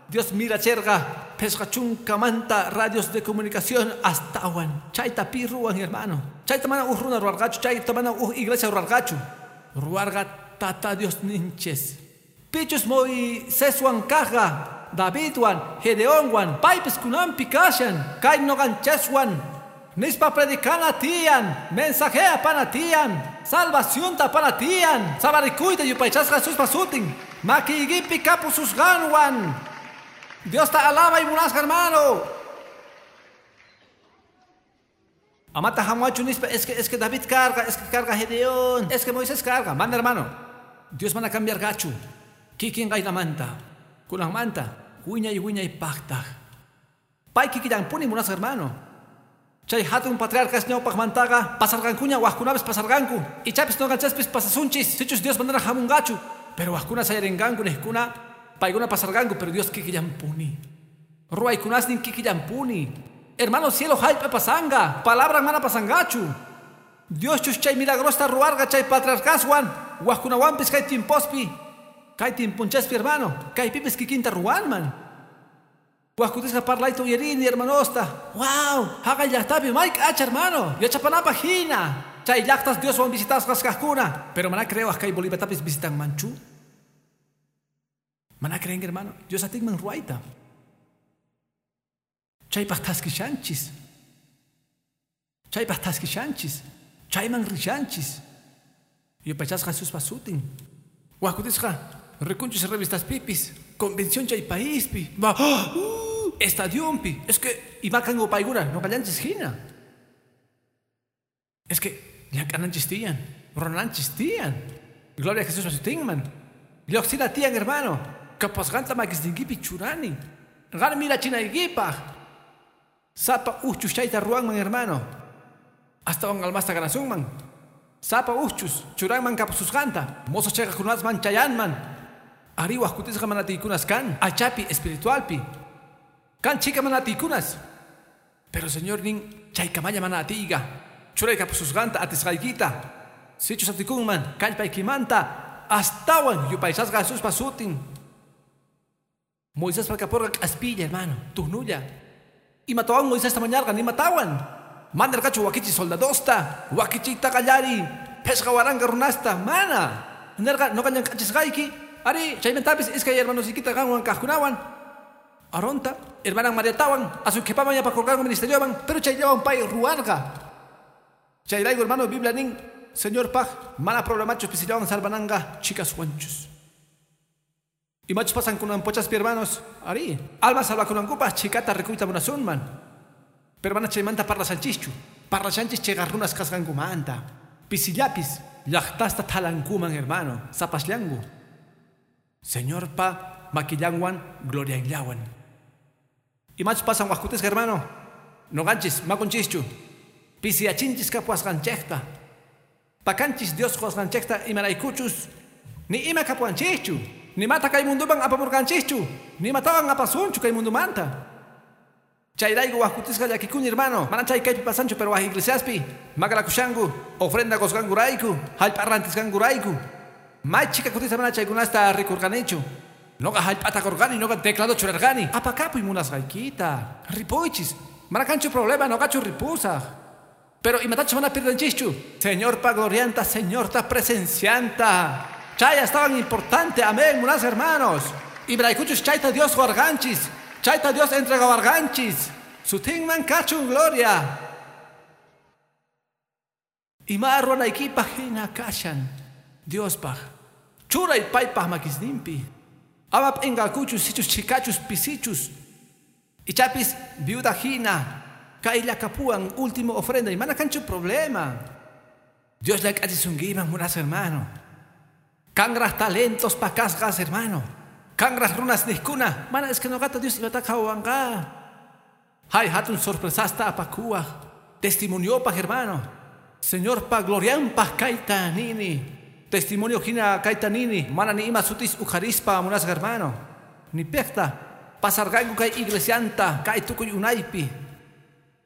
Dios miracherqa pesqa chunkamanta radios de comunicación astawan. Chayta pi ruwan hermano. Chayta mana uj runa ruwarqachu, chayta mana uj iglesia ruwarqachu. Ruwarqa Tata Dios ninches. Pichus Moiseswan kaqqa, Davidwan, Gedeonwan, paypis kunanpi kashan, kay nuqancheswan. Nispa predicana tiyan, mensajea pana tiyan, salvacionta pana tiyan, sabarikuyta yupaychasqa Jesuspa sutin, makiykipi kapususqanwan. Diosta alabay munasqa hermano. Amata hamuachu nispa, es que David carga, es que carga Gedeón, es que Moisés carga. Manda hermano, Dios mana cambiar gachu. Kikin qaynamanta, kunanmanta, wiñay wiñay paqtaq. Pay kikillanpuni munasqa hermano. Chay hatun patriarcas ñawpaqmantaqa pasarqankuña wajkunapis pasarqanku. Ichapis nuqanchaspis pasasunchis, sichus Dios manara hamunqachu. Pero wajkuna sayarinqanku niqkuna, paykuna pasarqanku, pero Dios kikillanpuni. Ruwaykunasnin kikillanpuni. Hermano, cielo hallp'a pasanqa, palabran mana pasanqachu. Dios chus chay milagrosta ruwarqa chay patriarcaswan, wajkunawanpis kay tiempospi. Kay timpunchaspi hermano, kaypipis kikinta ruwanman. Wajkutisqa parlayta uyarini hermanosta. Wow, haqay llaqtapi may k'acha hermano, yachapanapaq hina. Chay llaqtas Dioswan visitasqas kaqkuna. Pero mana creo kay Boliviatapis visitanmanchu. Mana creen hermano, Dios atinman ruwayta. Chaypaq thaskishanchis. Chaypaq thaskishanchis, chayman rishanchis. Yupaychasqa Jesuspa sutin. Wajkutisqa rikunchis revistaspipis, convención chay paispi, va estadionpi. Es que ima kanku paykuna noqallanchis hina. Es que llank'ananchis tiyan, runanchis tiyan. Gloria a Jesuspa sutinman. Lluqsina tiyan, hermano. Kapasqanta makisniykipi churani. Qan mirachinaykipaq. Sapa uchus chayta ruwanman, hermano. Astawan almasta ganasunman. Sapa uchus churanman kapususqanta. Mozo chayqakunasman chayanman. Ari wajkutisqa mana atiykunas kan. Achapi espiritualpi. Kan chika mana atiykunas. Pero Señor nin chaykamalla mana atiyqa. Churay kapususqanta atisqaykita. Sichus atikunman kallpaykimanta astawan yupaychasqa Jesuspa sutin. Moisés kapurqa k'aspilla, hermano, tunulla. Imatawan Moisés mañarqa nimatawan. Mandarqachu wakichi soldadosta, wakichiyta qallari, phishqa waranqa runasta, mana. Nerqa noqa llank'achisqayki, ari chaymantapis iskay hermanosikita qanwan kaqkunawan. Aronta, hermanan Mariatawan, asu qhipaman yapakurqanku ministerioman, pero chayllawan pay ruwarqa. Chayrayku, hermano, Biblia nin, Señor paj, mana problemachus pisillawan salvananqa chicas wanchus. Imachus pasan kunan pochaspi, hermanos, ari, alma salvakunankupaq chikata rikuyta munasunman. Pero mana chaymanta parlashanchischu. Parlashanchis chayqa runas kasqankumanta. Pisillapis llaqtasta thalankuman, hermano, sapasllanku. Señorpa makillanwan glorianllawan. Imachus pasan wajkutisqa, hermano, noqanchis makunchischu. Pisiyachinchis kapuwasqanchikta. Pakanchis Dios quwasqanchikta imaraykuchus. Ni ima kapuwanchischu. Ni mata kay munduman apamurqanchischu. Ni matawan apasunchu kay mundumanta. Chayrayku wajkutisqa llakikuni, hermano. Mana chay kaypi pasanchu, pero waj iglesiaspi maqanakushanku, ofrenda qusqankurayku, hallp'a rantisqankurayku. May chhika kutista mana chaykunasta rikurqanichu. Noqa hallp'ata qurqani, noqa teclado churarqani. Apakapuy munasqaykita. Ripuychis. Mana kanchu problema, noqachu ripusaq. Pero imatachus mana pierdenchischu. Señorpa glorianta, Señorta presencianta. Chay astawan importante, amén, munas hermanos. Imaraykuchus chayta Dios qurqanchis. Chayta Dios entregawarqanchis. Sutinman kachun gloria. Ima ruwanaykipaq hina kashan Diospaq. Churay paypaq makisninpi. Ama p'inqakuchus sichus chhikachus pisichus. Ichapis viuda hina kaylla kapuwan último ofrenda y mana kanchu problema. Dios llank'achisunkiman, munas hermano. Kanraj talentos pakasqas, hermano. Kanraj runas niqkuna. Mana es que noqata Dios imata qhawanqa. Hay hatun sorpresasta apakuwaq. Testimoniopaq, hermano. Señorpa glorianpaq kayta nini. Testimonio hina kayta nini. Mana ni ima sutis uqharispa, munas hermano. Ni piqta. Pasarqanku kay iglesianta, kay tukuy unaypi.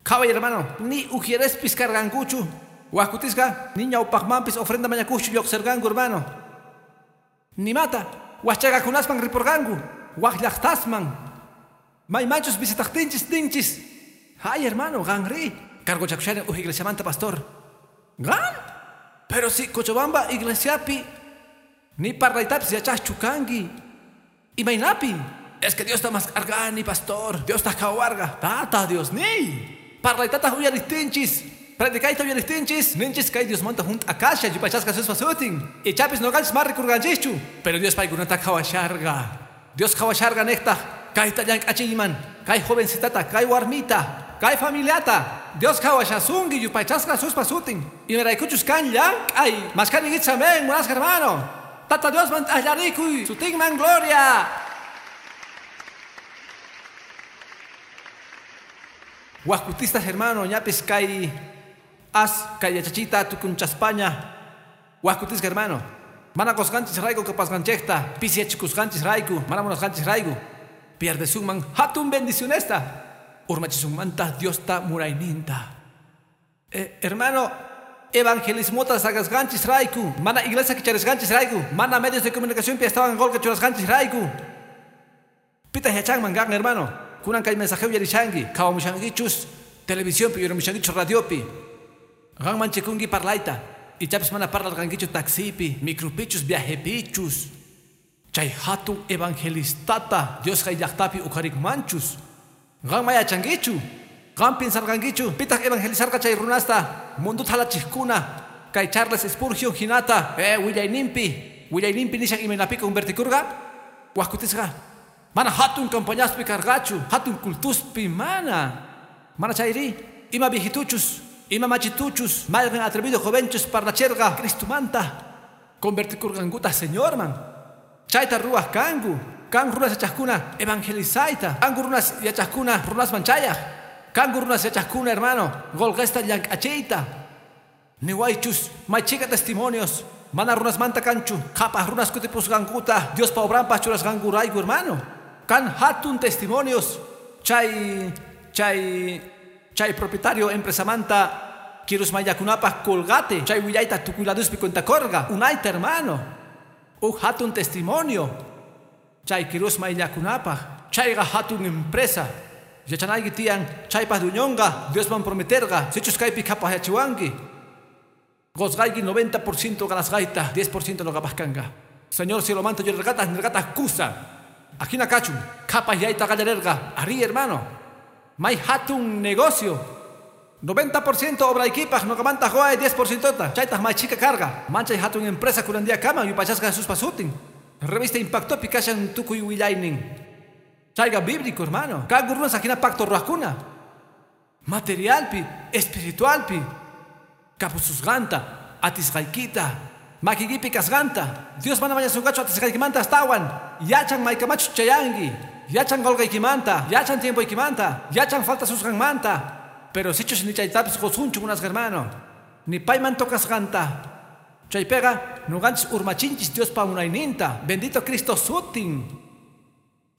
Qhaway, hermano, ni ujierespis karqankuchu. Wajkutisqa, ni ñawpaqmanpis ofrenda mañakuqchu lluqsirqanku, hermano. Ni mata, wajchaqakunasman ripurqanku, waj llaqtasman. Maymanchus visitaqtinchis ninchis. Ay, hermano, qanri. Cargochakushani uj iglesiamanta pastor. ¿Qan? Pero si Cochabamba iglesiapi ni parlaytapis yachaqchu kanki. Imaynapi. Es que Dios está más cargani, pastor. Dios está qhawarqa. Tata Dios ni. Parlaytataq uyaristinchis. Predicayta uyaristinchis. Ninchis kay Diosmanta junt'a kasha yupaychasqa Jesuspa sutin. Ichapis noqanchis ma rikurqanchischu. Pero Dios paykunata qhawasharqa. Dios qhawasharqa niqtaq kayta llank'achiyman. Kay jovencitata, kay warmita, kay familiata. Dios qhawashasunki yupaychasqa Jesuspa sutin. Imaraykuchus kan llank'ay. Mashkani amén, munasqa hermano. Tata Diosman t'allarikuy. Sutinman gloria. Wajkutistas, hermano, ñapis kay as kay yachachita tukunchaspaña. Wajkutisqa, hermano. Mana qusqanchis rayku kapasqanchikta, pisiyachikusqanchis rayku, mana munasqanchis rayku. Pierdesunman hatun bendicionesta. Urmachisunmanta Diosta murayninta. Hermano, evangelismota saqasqanchis rayku, mana iglesia kicharisqanchis rayku, mana medios de comunicación pi estaban qolqe churasqanchis rayku. Pitaq yachanman qan, hermano. Kunan kay mensaje uyarishanki, qhawamushankichus televisionpi, uyarimushankichus radiopi. Qanman chikunki parlayta. Ichapis mana parlarqankichu taxipi, micropichus, viajepichus. Chay hatun evangelistata Dios kay llaqtapi uqharikmanchus. Qanma yachankichu. Qam pinsarqankichu pitaq evangelizarqa chay runasta munduta halachiqkuna kay Charles Spurgeon hinata willayninpi willayninpi nishan imaynapi convertikurqa waqkutisqa mana hatun campañaspi karqachu hatun cultuspi mana mana chayri ima viejituchus ima machituchus mayqin atrevido jovenchus parlacherqa Cristumanta convertikurqankuta Señorman chayta ruwaq kanku kan runas yachaqkuna evangelizayta kanku runas yachaqkuna runasman chayaq kanku runas yachaqkuna hermano qolqesta llank'achiyta niwaychus maychika testimonios mana runasmanta kanchu qhapaq runas kutipusqankuta Diospa obranpaq churasqankurayku hermano kan hatun testimonios chay chay chay propietario empresamanta kirusmayakunapaq colgate chay willayta tukuy laduspi cuentakorqa unayta hermano uj hatun testimonio chay kirusmayllakunapaq chayqa hatun empresa yachanayki tiyan chaypaq dueñonqa Diosman prometerqa sichus kaypi qhapaqyachiwanki qusqayki 90% ganasqayta 10% nuqapaq kanqa Señor cielomanta yurarqataq nirqataq kusa ajina kachun qhapaqyayta qallarerqa arí hermano may hatun negocio 90% obraykipaq nuqamanta quway 10% ta chaytaq may chika karqa manchay hatun empresa kunan kama yupaychasqa Jesuspa sutin revista Impactopi kashan tukuy willaynin chayqa bíblico hermano kanku runas ajina pacto ruwaqkuna materialpi espiritualpi kapususqanta atisqaykita makiykipi kasqanta Dios mana mañasunqachu atisqaykimanta astawan yachan maykamachus chayanki yachan qolqaykimanta yachan tiempoykimanta yachan faltasusqanmanta pero sichus ni chaytapis qusunchu munasqa hermano ni payman tocasqanta chaypiqa nuqanchis urmachinchis Diospa munayninta bendito Cristo sutin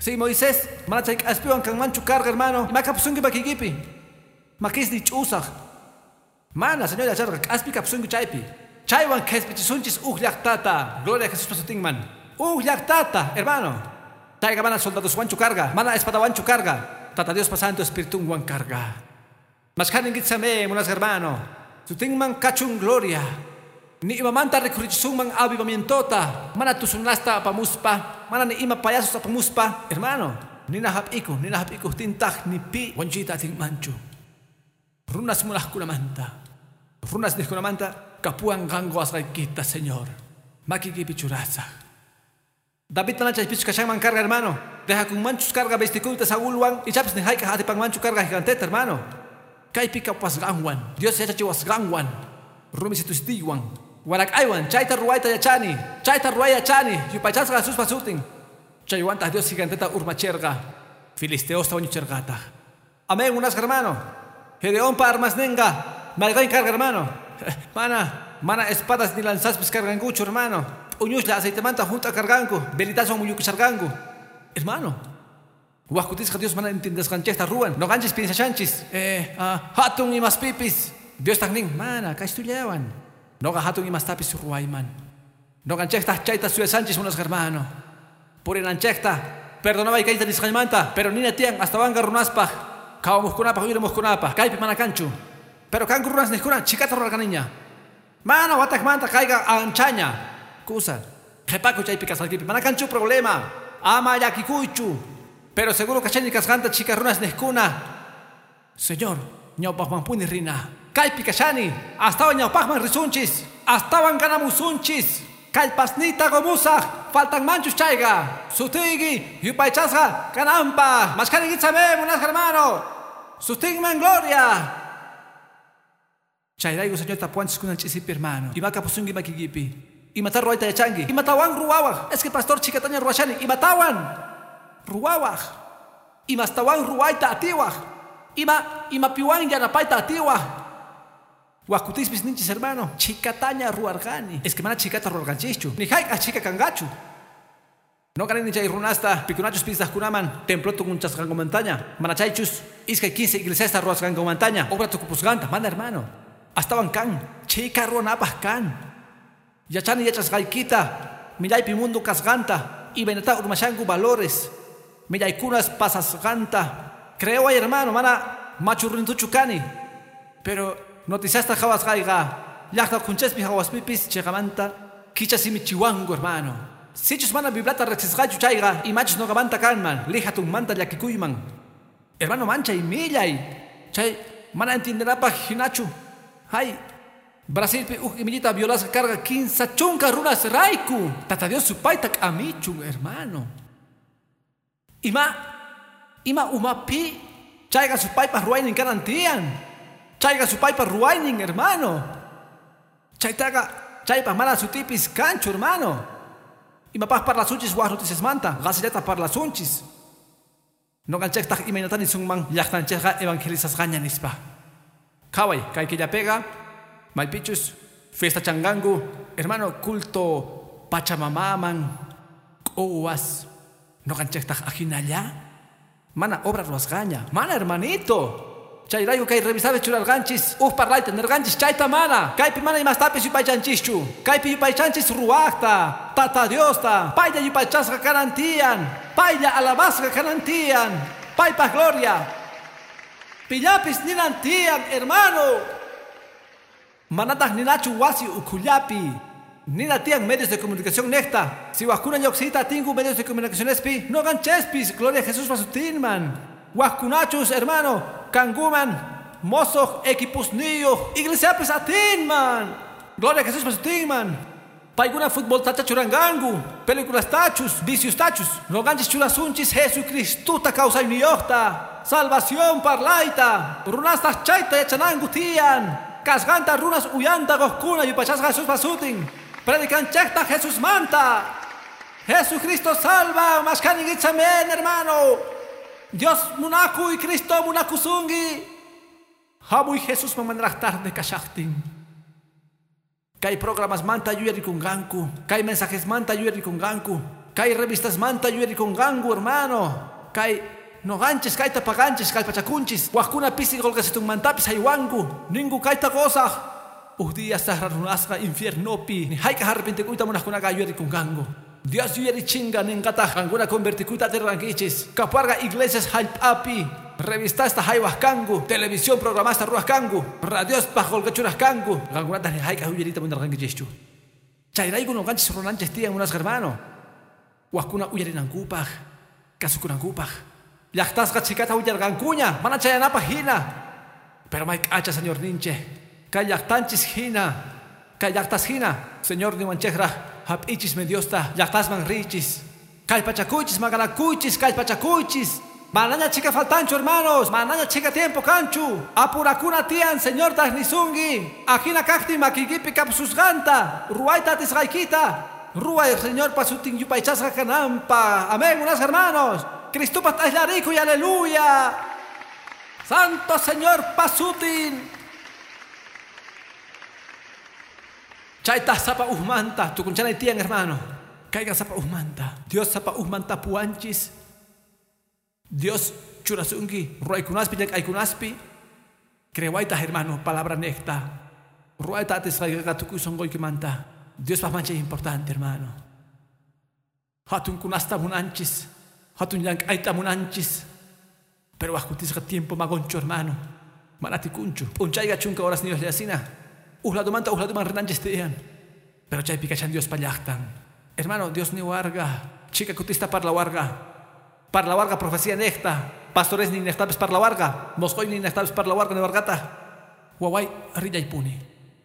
si Moisés mana chay k'aspiwan kanmanchu karqa hermano ima kapusunki makiykipi makisni ch'usaq mana Señor yacharqa k'aspi kapusunki chaypi chaywan qhispichisunchis uj llaqtata gloria a Jesuspa sutinman uj llaqtata hermano chayqa mana soldadoswanchu karqa mana espadawanchu karqa Tata Diospa Santo Espiritunwan karqa Mashkaninkitzame munasqa hermano sutinman kachun gloria ni imamanta rikhurichisunman avivamientota mana tusunasta apamuspa mana ni ima payasos apamuspa hermano nina hap'iku nina hap'ikuqtintaq ni pi wanchiyta atinmanchu runas munaqkunamanta runas niqkunamanta kapuwan qan quwasqaykita Señor makiykipi churasaq David mana chaypichu kashanman karqa hermano dejakunmanchus karqa vestikuyta Saulwan ichapis ni hayk'aq atipanmanchu karqa giganteta hermano kaypi kawpasqanwan Dios yachachiwasqanwan rumisitusniywan warak'aywan chayta ruwayta yachani chayta ruway yachani yupaychasqa Jesuspa sutin chaywantaq Dios giganteta urmacherqa filisteosta wañucherqataq amén munasqa hermano Gedeonpa armasninqa mayqin karqa hermano mana mana espadas ni lanzaspis karqankuchu hermano p'uñuslla aceitemanta junt'a karqanku velitaswan muyukusharqanku hermano waqkutisqa Dios mana entiendesqanchikta ruwan nuqanchis piensashanchis hatun imaspipis Dios taq nin mana kaystullawan nuqa hatun imastapis ruwayman nuqanchiktaq chayta suyasanchis munasqa hermano purinanchikta perdonaway kayta nisqaymanta pero nina tiyan astawanqa runaspaq qhawamuqkunapaq uyarimuqkunapaq kaypi mana kanchu pero kanku runas niqkuna chikata rurarqaniña mana wataqmanta kayqa anchaña kusa qhipakuy chaypi kasqaykipi mana kanchu problema ama llakikuychu pero seguro kachani kasqanta chika runas niqkuna Señor ñawpaqmanpuni rina kaypi kashani astawan ñawpaqman risunchis astawan ganamusunchis kallpasniyta qumusaq faltanmanchus chayqa sutiyki yupaychasqa kananpaq mashkanikitzame munasqa hermano sutinman gloria chayrayku Señor tapuwanchis kunan ch'isipi hermano ima kapusunki makiykipi imata ruwayta yachanki imatawan ruwawaq es que pastor chikataña ruwashani imatawan ruwawaq imastawan ruwayta atiwaq ima imapiwan yanapayta atiwaq waqkutispis ninchis hermano chikataña ruwarqani es que mana chikata ruwarqanchischu ni hayk'aq chika kanqachu nuqani chay runasta pikunachus pinsaqkunaman templo tukunchasqankumantaña mana chaychus 2 15 iglesiasta ruwasqankumantaña obra tukupusqanta mana hermano astawan kan chika ruwanapaq kan yachani yachasqaykita millaypi mundo kasqanta imaynata urmashanku valores millaykunas pasasqanta creeway hermano mana machurrintuchu kani pero noticiasta qhawasqayqa llaqta qhunchaspi hawaspipis chiqamanta kichasimichiwanku hermano sichus mana Bibliata riqsisqachu chayqa imachus nuqamanta kanman lijatunmanta llakikuyman hermano manchay millay Chay mana entiendenapaq hinachu. Hay Brasilpi uj imillita violasqa karqa 15 runas rayku. Tata Dios supayta k'amichun, hermano. Ima umapi chayqa supaypaq ruwaynin kanan tiyan. Chayqa supaypaq ruwaynin, hermano. Chaytaqa chaypaq mana sutipis kanchu, hermano. Imapaq parlasunchis waj noticiasmanta, qasillata parlasunchis. Noqanchiktaq imaynata nisunman llaqtanchikqa evangelizasqaña nispa. Qhaway kay killapiqa maypichus fiesta changanku, hermano, culto Pachamamaman q'uwas. Noqanchiktaq ajinalla mana obra ruwasqaña, mana, hermanito. Chayrayku kay revistapi churarqanchis uj parlayta nirqanchis chayta mana. Kaypi mana imastapis yupaychanchischu. Kaypi yupaychanchis ruwaqta, Tata Diosta. Paylla yupaychasqa kanan tiyan. Paylla alabasqa kanan tiyan. Paypaq gloria. Pillapis ninan tiyan, hermano. Manataq ninachu wasi ukhullapi. Nina tiyan medios de comunicación necta. Si wajkuna lluqsiyta atinku medios de comunicacionespi, noqanchespis, gloria a Jesús pasutinman. Wajkunachus, hermano, kanguman, mozoq equipusniyuq, iglesiapis atinman. Gloria a Jesús pasutinman. Paykuna fútbol tacha churanganku, películas tachus, vicios tachus. Noqanchis churasunchis Jesucristuta kawsayniyuqta, salvación parlayta, runastaq chayta yachananku tiyan. Kasqanta runas uyanta qujkuna yupaychasqa Jesús pasutin. Predicanchikta Jesús manta. Jesucristo salva, mashkaninkichis, amén, hermano. Dios munakuy, Cristo munakusunki. Hamuy Jesús manaraq tarde kashaqtin. Kay programas manta yuyarikunqanku, kay mensajes manta yuyarikunqanku, kay revistas manta yuyarikunqanku, hermano. Kay noqanchis kayta paganchis, kallpachakunchis, wajkuna pisi qolqesitunmantapis haywanku, ninku kayta qosaq. Uj día saqra runasqa infiernopi, ni hayk'aq arrepentikuyta munaqkunaqa yuyarikunqanku. Dios yuyarichinqa ninqataq qankuna convertikuyta atirqankichis. Kapuarqa iglesias hallp'api, revistasta haywaq kanku, televisión programasta ruwaq kanku, radiospaq qolqechuraq kanku, qankunataq ni hayk'aq uyariyta munarqankichischu. Chayrayku noqanchis runanchis tiyan munasqa, hermano. Wajkuna uyarinankupaq, kasukunankupaq. Llaqtasqa chhikata willarqankuña, mana chayanapaq hina. Pero may k'acha Señor ninchik, kay llaqtanchis hina, kay llaqtas hina, Señor niwanchikraq hap'ichis mediosta, llaqtasman richis. Kallpachakuychis, maqanakuychis, kallpachakuychis. Manaña chhika faltanchu, hermanos, manaña chhika tiempo kanchu. Apurakuna tiyan, Señor taq nisunki. Ajina kaqtin makiykipi kapususqanta, ruwayta atisqaykita. Ruway Señor pasutin yupaychasqa kananpaq. Amén, unas hermanos. Cristopaq t'ayllarikuy, aleluya. Santo Señor pasutin. Chayta sapa ujmanta, tukunchanay tiyan, hermano. Kayqa sapa ujmanta. Dios sapa ujmanta puwanchis. Dios churasunki, ruwaykunaspi, llank'aykunaspi. Creewaytaq, hermano, palabra necta. Ruwayta atisqaykiqa tukuy sunquykimanta. Diospaq manchay importante, hermano. Hatunkunasta munanchis, hatun llank'ayta munanchis. Pero wajkutisqa tiempo magonchu, hermano. Mana atikunchu. P'unchayqa 10 horas niyuqllasina. Uj ladumanta uj laduman rinanchis tiyan. Pero chaypi kashan Diospa llaqtan. Hermano, Dios niwarqa, chhika kutista parlawarqa. Parlawarqa profecía necta, pastores ni nectapis parlawarqa, mosqoy ni nectapis parlawarqa niwarqataq. Waway rillaypuni.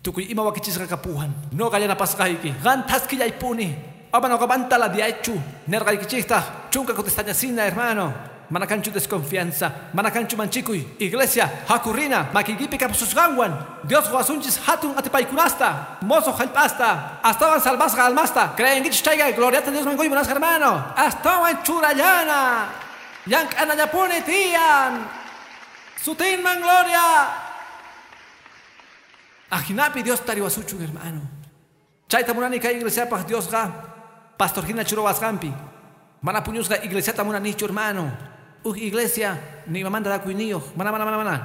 Tukuy ima wakichisqa kapuwan. Noqa yanapasqayki. Qan thaskillaypuni. Ama noqamanta ladiaychu. Nerqaykichiktaq 10 kutistañasina, hermano. Mana kanchu desconfianza, mana kanchu manchikuy. Iglesia, hakurina, makiykipi kapususqanwan. Dios quwasunchis hatun atipaykunasta, mozo hallp'asta, astawan salvasqa almasta. Creenkichis chayqa, gloriata Diosman quy munasqa, hermano. Astawan churallana. Llank'anallapuni tiyan. Sutinman gloria. Ajinapi Dios tariwasuchun, hermano. Chayta munani kay iglesiapaq Diosqa pastor hina churawasqanpi. Mana puñusqa iglesiata munanichu, hermano. Uj iglesia ni mamanta dakuyniyuq. Mana, mana, mana, mana.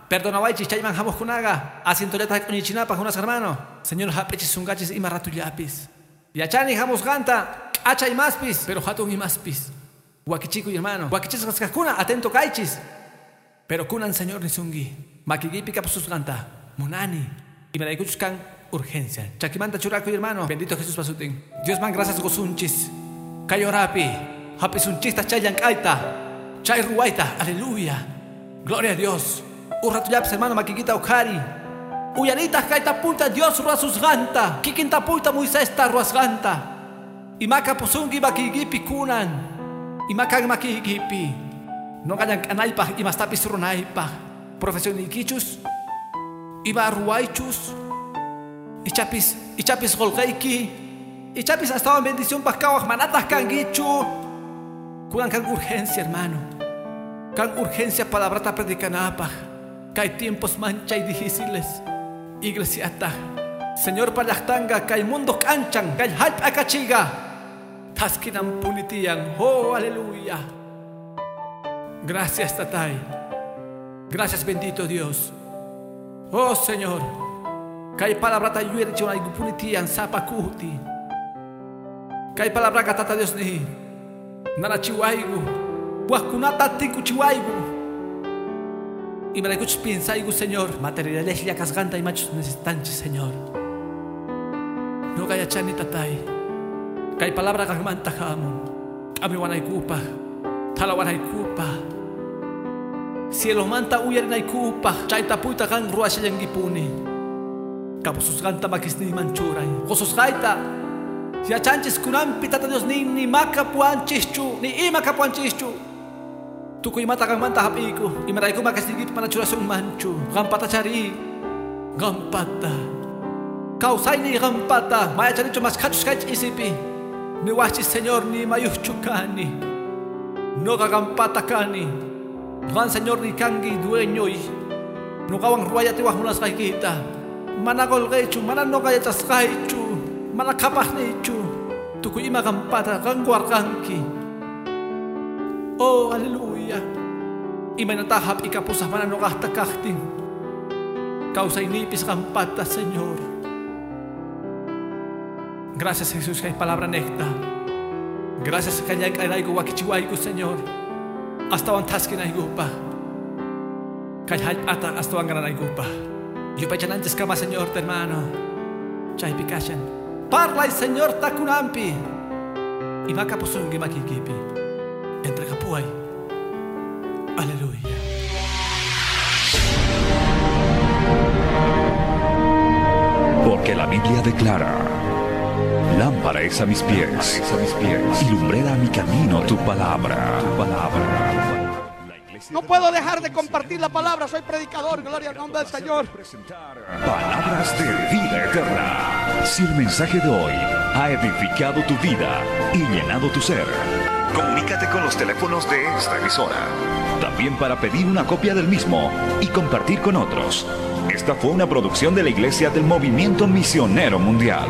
Perdonawaychis chayman hamuqkunaqa asientollata q'uñichinapaq unas, hermano. Señor hap'ichis sunkachis ima ratullapis. Yachani hamusqanta k'acha imaspis, pero hatun imaspis. Wakichikuy, hermano. Wakichisqas kaqkuna atento kaychis. Pero kunan Señor nisunki. Makiykipi kapususqanta munani. Imaraykuchus kan urgencia. Chakimanta churakuy, hermano. Bendito Jesús pasutin. Diosman gracias qusunchis. Kay horapi. Hapisunchista chay llank'ayta. Chay ruwayta. Aleluya. Gloria a Dios. Urratullapis hermano makikita ukhari. Uyaritaq kayta punta Dios ruwasusqanta, kikinta puyta Moisesta ruwasqanta. Imaka pusunki makiykipi kunan. Imakan makiykipi. Noqa llank'anaypaq imastapis runaypaq. Profesionniykichus, ima ruwaychus, ichapis qolqayki, ichapis astawan bendicionpaq kawaq manataq kankichu. Kunan kan urgencia, hermano. Kan urgencia palabrata predicanapaq. Kay tiempos manchay difíciles. Iglesiata. Señor pallaqtanga kay mundo k'anchan, kay hallp'a kachiga. Taskinan punitiyan. Oh, aleluya. Gracias, Tatay. Gracias, bendito Dios. Oh, Señor. Kay palabrata yuyarichiwanayku punitiyan sapa kuti. Kay palabraqa Tata Dios ni. Nanachiwayku. Wajkunata tikuchiwayku. Imaraykuchus piensayku, Señor, materialeslla kasqanta imachus necesitanchis, Señor. Noqa yachani, Tatay. Kay palabra qanmanta hamun. K'amiwanaykupaq, thalawanaykupa. Cielomanta uyarinaykupaq, chayta puyta qan ruwashallankipuni. Kapususqanta makisniyman churay. Qususqayta yachanchis kunanpi Tata Dios ni makapuanchischu, ni ima kapuanchischu. Tukuy imata qanmanta hap'iyku. Imarayku makisniykipi mana churasunmanchu. Qampata chari. Qampata. Kawsayniy qampata. Mayachanichu mashkhachus kay ch'isipi. Niwachis, Señor, ni mayuqchu kani. Noqa qampata kani. Qan, Señor, ni kanki dueñoy. Noqawan ruwayatiwaq munasqaykita. Mana qolqaychu, mana noqa yachasqaychu, mana qhapaqniychu. Tukuy ima qampata qan warqanki. Oh, aleluya. Imaynata hap'ikapusaq mana noqaqta kaqtin. Kawsayniypis qampata, Señor. Gracias, Jesús, kay palabra necta. Gracias, kay llank'ayrayku wakichiwayku, Señor. Astawan thaskinaykupa. Kay hallp'ata astawan gananaykupaq. Yupaychananchis kama, Señor, hermano. Chaypi kashan. Parlay, Señor, takunampi. Imaka pusunki makiykipi. Entregapuay. Aleluya. Porque la Biblia declara: lámpara es a mis pies, y lumbrera a mi camino tu palabra. Tu palabra. No puedo dejar de compartir la palabra. Soy predicador. Gloria al nombre del Señor. Palabras de vida eterna. Si el mensaje de hoy ha edificado tu vida y llenado tu ser, comunícate con los teléfonos de esta emisora. También para pedir una copia del mismo y compartir con otros. Esta fue una producción de la Iglesia del Movimiento Misionero Mundial.